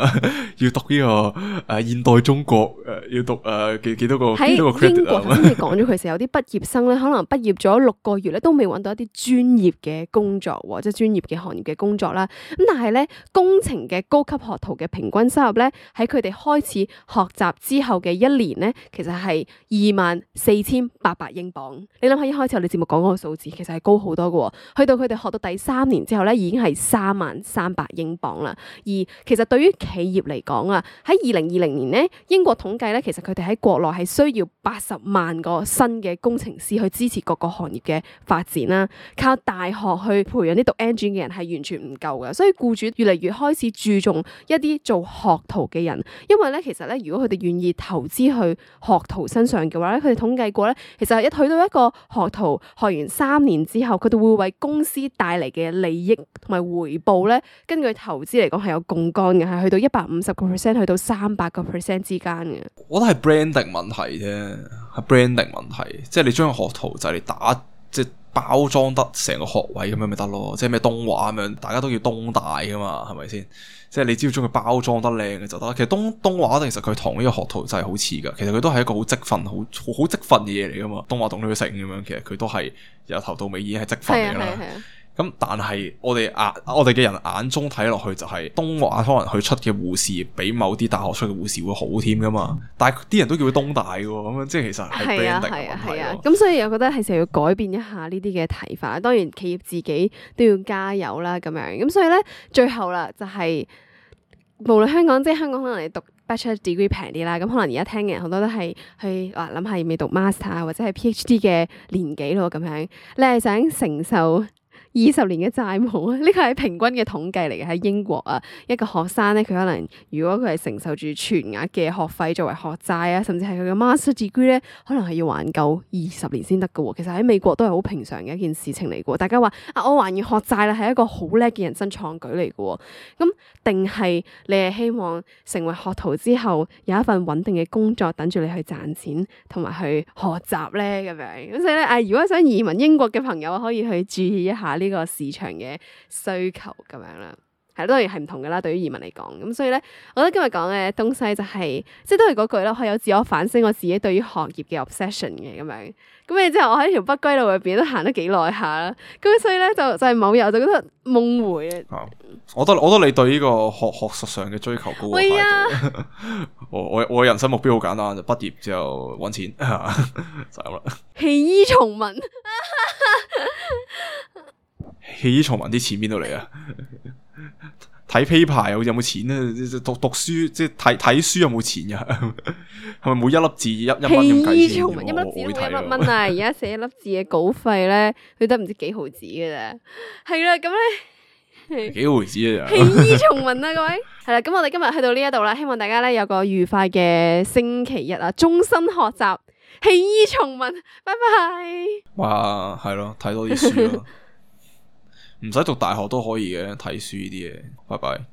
要讀呢、這個誒、呃、現代中國誒、呃、要讀誒幾幾多個幾多個 credit 啊。喺英國頭先你講咗，其實有啲畢業生咧，可能畢業咗六個月咧都未揾到一啲專業嘅工作，或者專業嘅行業嘅工作啦。咁但係咧，工程嘅高級學徒嘅平均收入咧，喺佢哋開始學習之後嘅一年咧，其實係二萬四千八百英鎊。你諗下一開始我哋節目講嗰個數字，其實係高好多嘅。去到佢哋學到第三年之後咧，已經係三萬三百英鎊啦。而其實對於企業嚟講啊，喺二零二零年咧，英國統計咧，其實佢哋喺國內係需要八十萬個新嘅工程師去支持各個行業嘅發展啦。靠大學去培養啲讀 engine 嘅人係完全唔夠嘅，所以僱主越嚟越開始注重一啲做學徒嘅人，因為咧其實咧，如果佢哋願意投資去學徒身上嘅話咧，佢哋統計過咧，其實一去到一個學徒學完三年之後，佢哋會為公司帶嚟嘅利益同埋回報咧，根據投資嚟講係有槓桿嘅，係去到一百五十個 percent 去到三百個 percent 之間嘅。我覺得係 branding 問題啫，係 branding 問題，即係你將個學徒就嚟打即係包裝得成個學位咁樣咪得咯，即係咩東華咁樣，大家都叫東大噶嘛，係咪先？即係你只要將佢包裝得靚嘅就得。其實東東華其實佢同呢個學徒制好似噶，其實佢都係一個好積分、好好好積分嘅嘢嚟噶嘛。東華讀女城咁樣，其實佢都係由頭到尾已經係積分嚟噶啦。咁但係我哋眼我哋嘅人眼中睇落去就係東華可能佢出嘅護士比某啲大學出嘅護士會好添噶嘛，但係啲人都叫佢東大嘅喎，咁樣即係其實係 branding 嘅問題咯。
係啊，咁所以我覺得係時候要改變一下呢啲嘅睇法。當然企業自己都要加油啦，咁樣咁所以咧最後啦就係、是、無論香港即係香港可能你讀 Bachelor degree 平啲啦，咁可能而家聽嘅人好多都係去話諗下要未讀 master 或者係 PhD 嘅年紀咯，咁樣你係想承受二十年嘅債務啊？呢個係平均嘅統計嚟嘅，喺英國啊，一個學生咧，佢可能如果佢係承受住全額嘅學費作為學債啊，甚至係佢嘅 master degree 咧，可能係要還夠二十年先得㗎喎。其實喺美國都係好平常嘅一件事情嚟嘅。大家話啊，我還完學債啦，係一個好叻嘅人生創舉嚟嘅。咁定係你係希望成為學徒之後有一份穩定嘅工作等住你去賺錢同埋去學習咧，咁樣咁所以咧，啊，如果想移民英國嘅朋友可以去注意一下呢個市場嘅需求咁樣啦，係當然係唔同噶啦。對於移民嚟講，咁所以咧，我覺得今日講嘅東西就係、是，即係都係嗰句啦，可以有自我反省我自己對於學業嘅 obsession 嘅咁樣。咁然之後我喺條北歸路入邊都行得幾耐下啦，咁所以咧就就係、是、某日我就覺得夢回啊。
我覺得我覺得你對呢個學學術上嘅追求高過態度。我我我人生目標好簡單，就畢業之後搵錢就咁啦。
棄醫從文，
棄醫從文啲錢邊度嚟啊？睇 paper 有有冇錢啊？讀讀書即係睇睇書有冇錢噶？係咪每一粒字一一蚊咁計錢？
一粒字都一粒蚊啊！而家寫一粒字嘅稿費咧，佢得唔知幾毫子嘅啫。係啦，咁咧
幾毫子啊？
棄醫從文啊，各位係啦。咁我哋今日去到呢一度啦，希望大家咧有個愉快嘅星期日啊！終身學習，棄醫從文，拜拜。
哇，係咯，睇多啲書咯。唔使讀大學都可以嘅，睇書呢啲嘢，拜拜。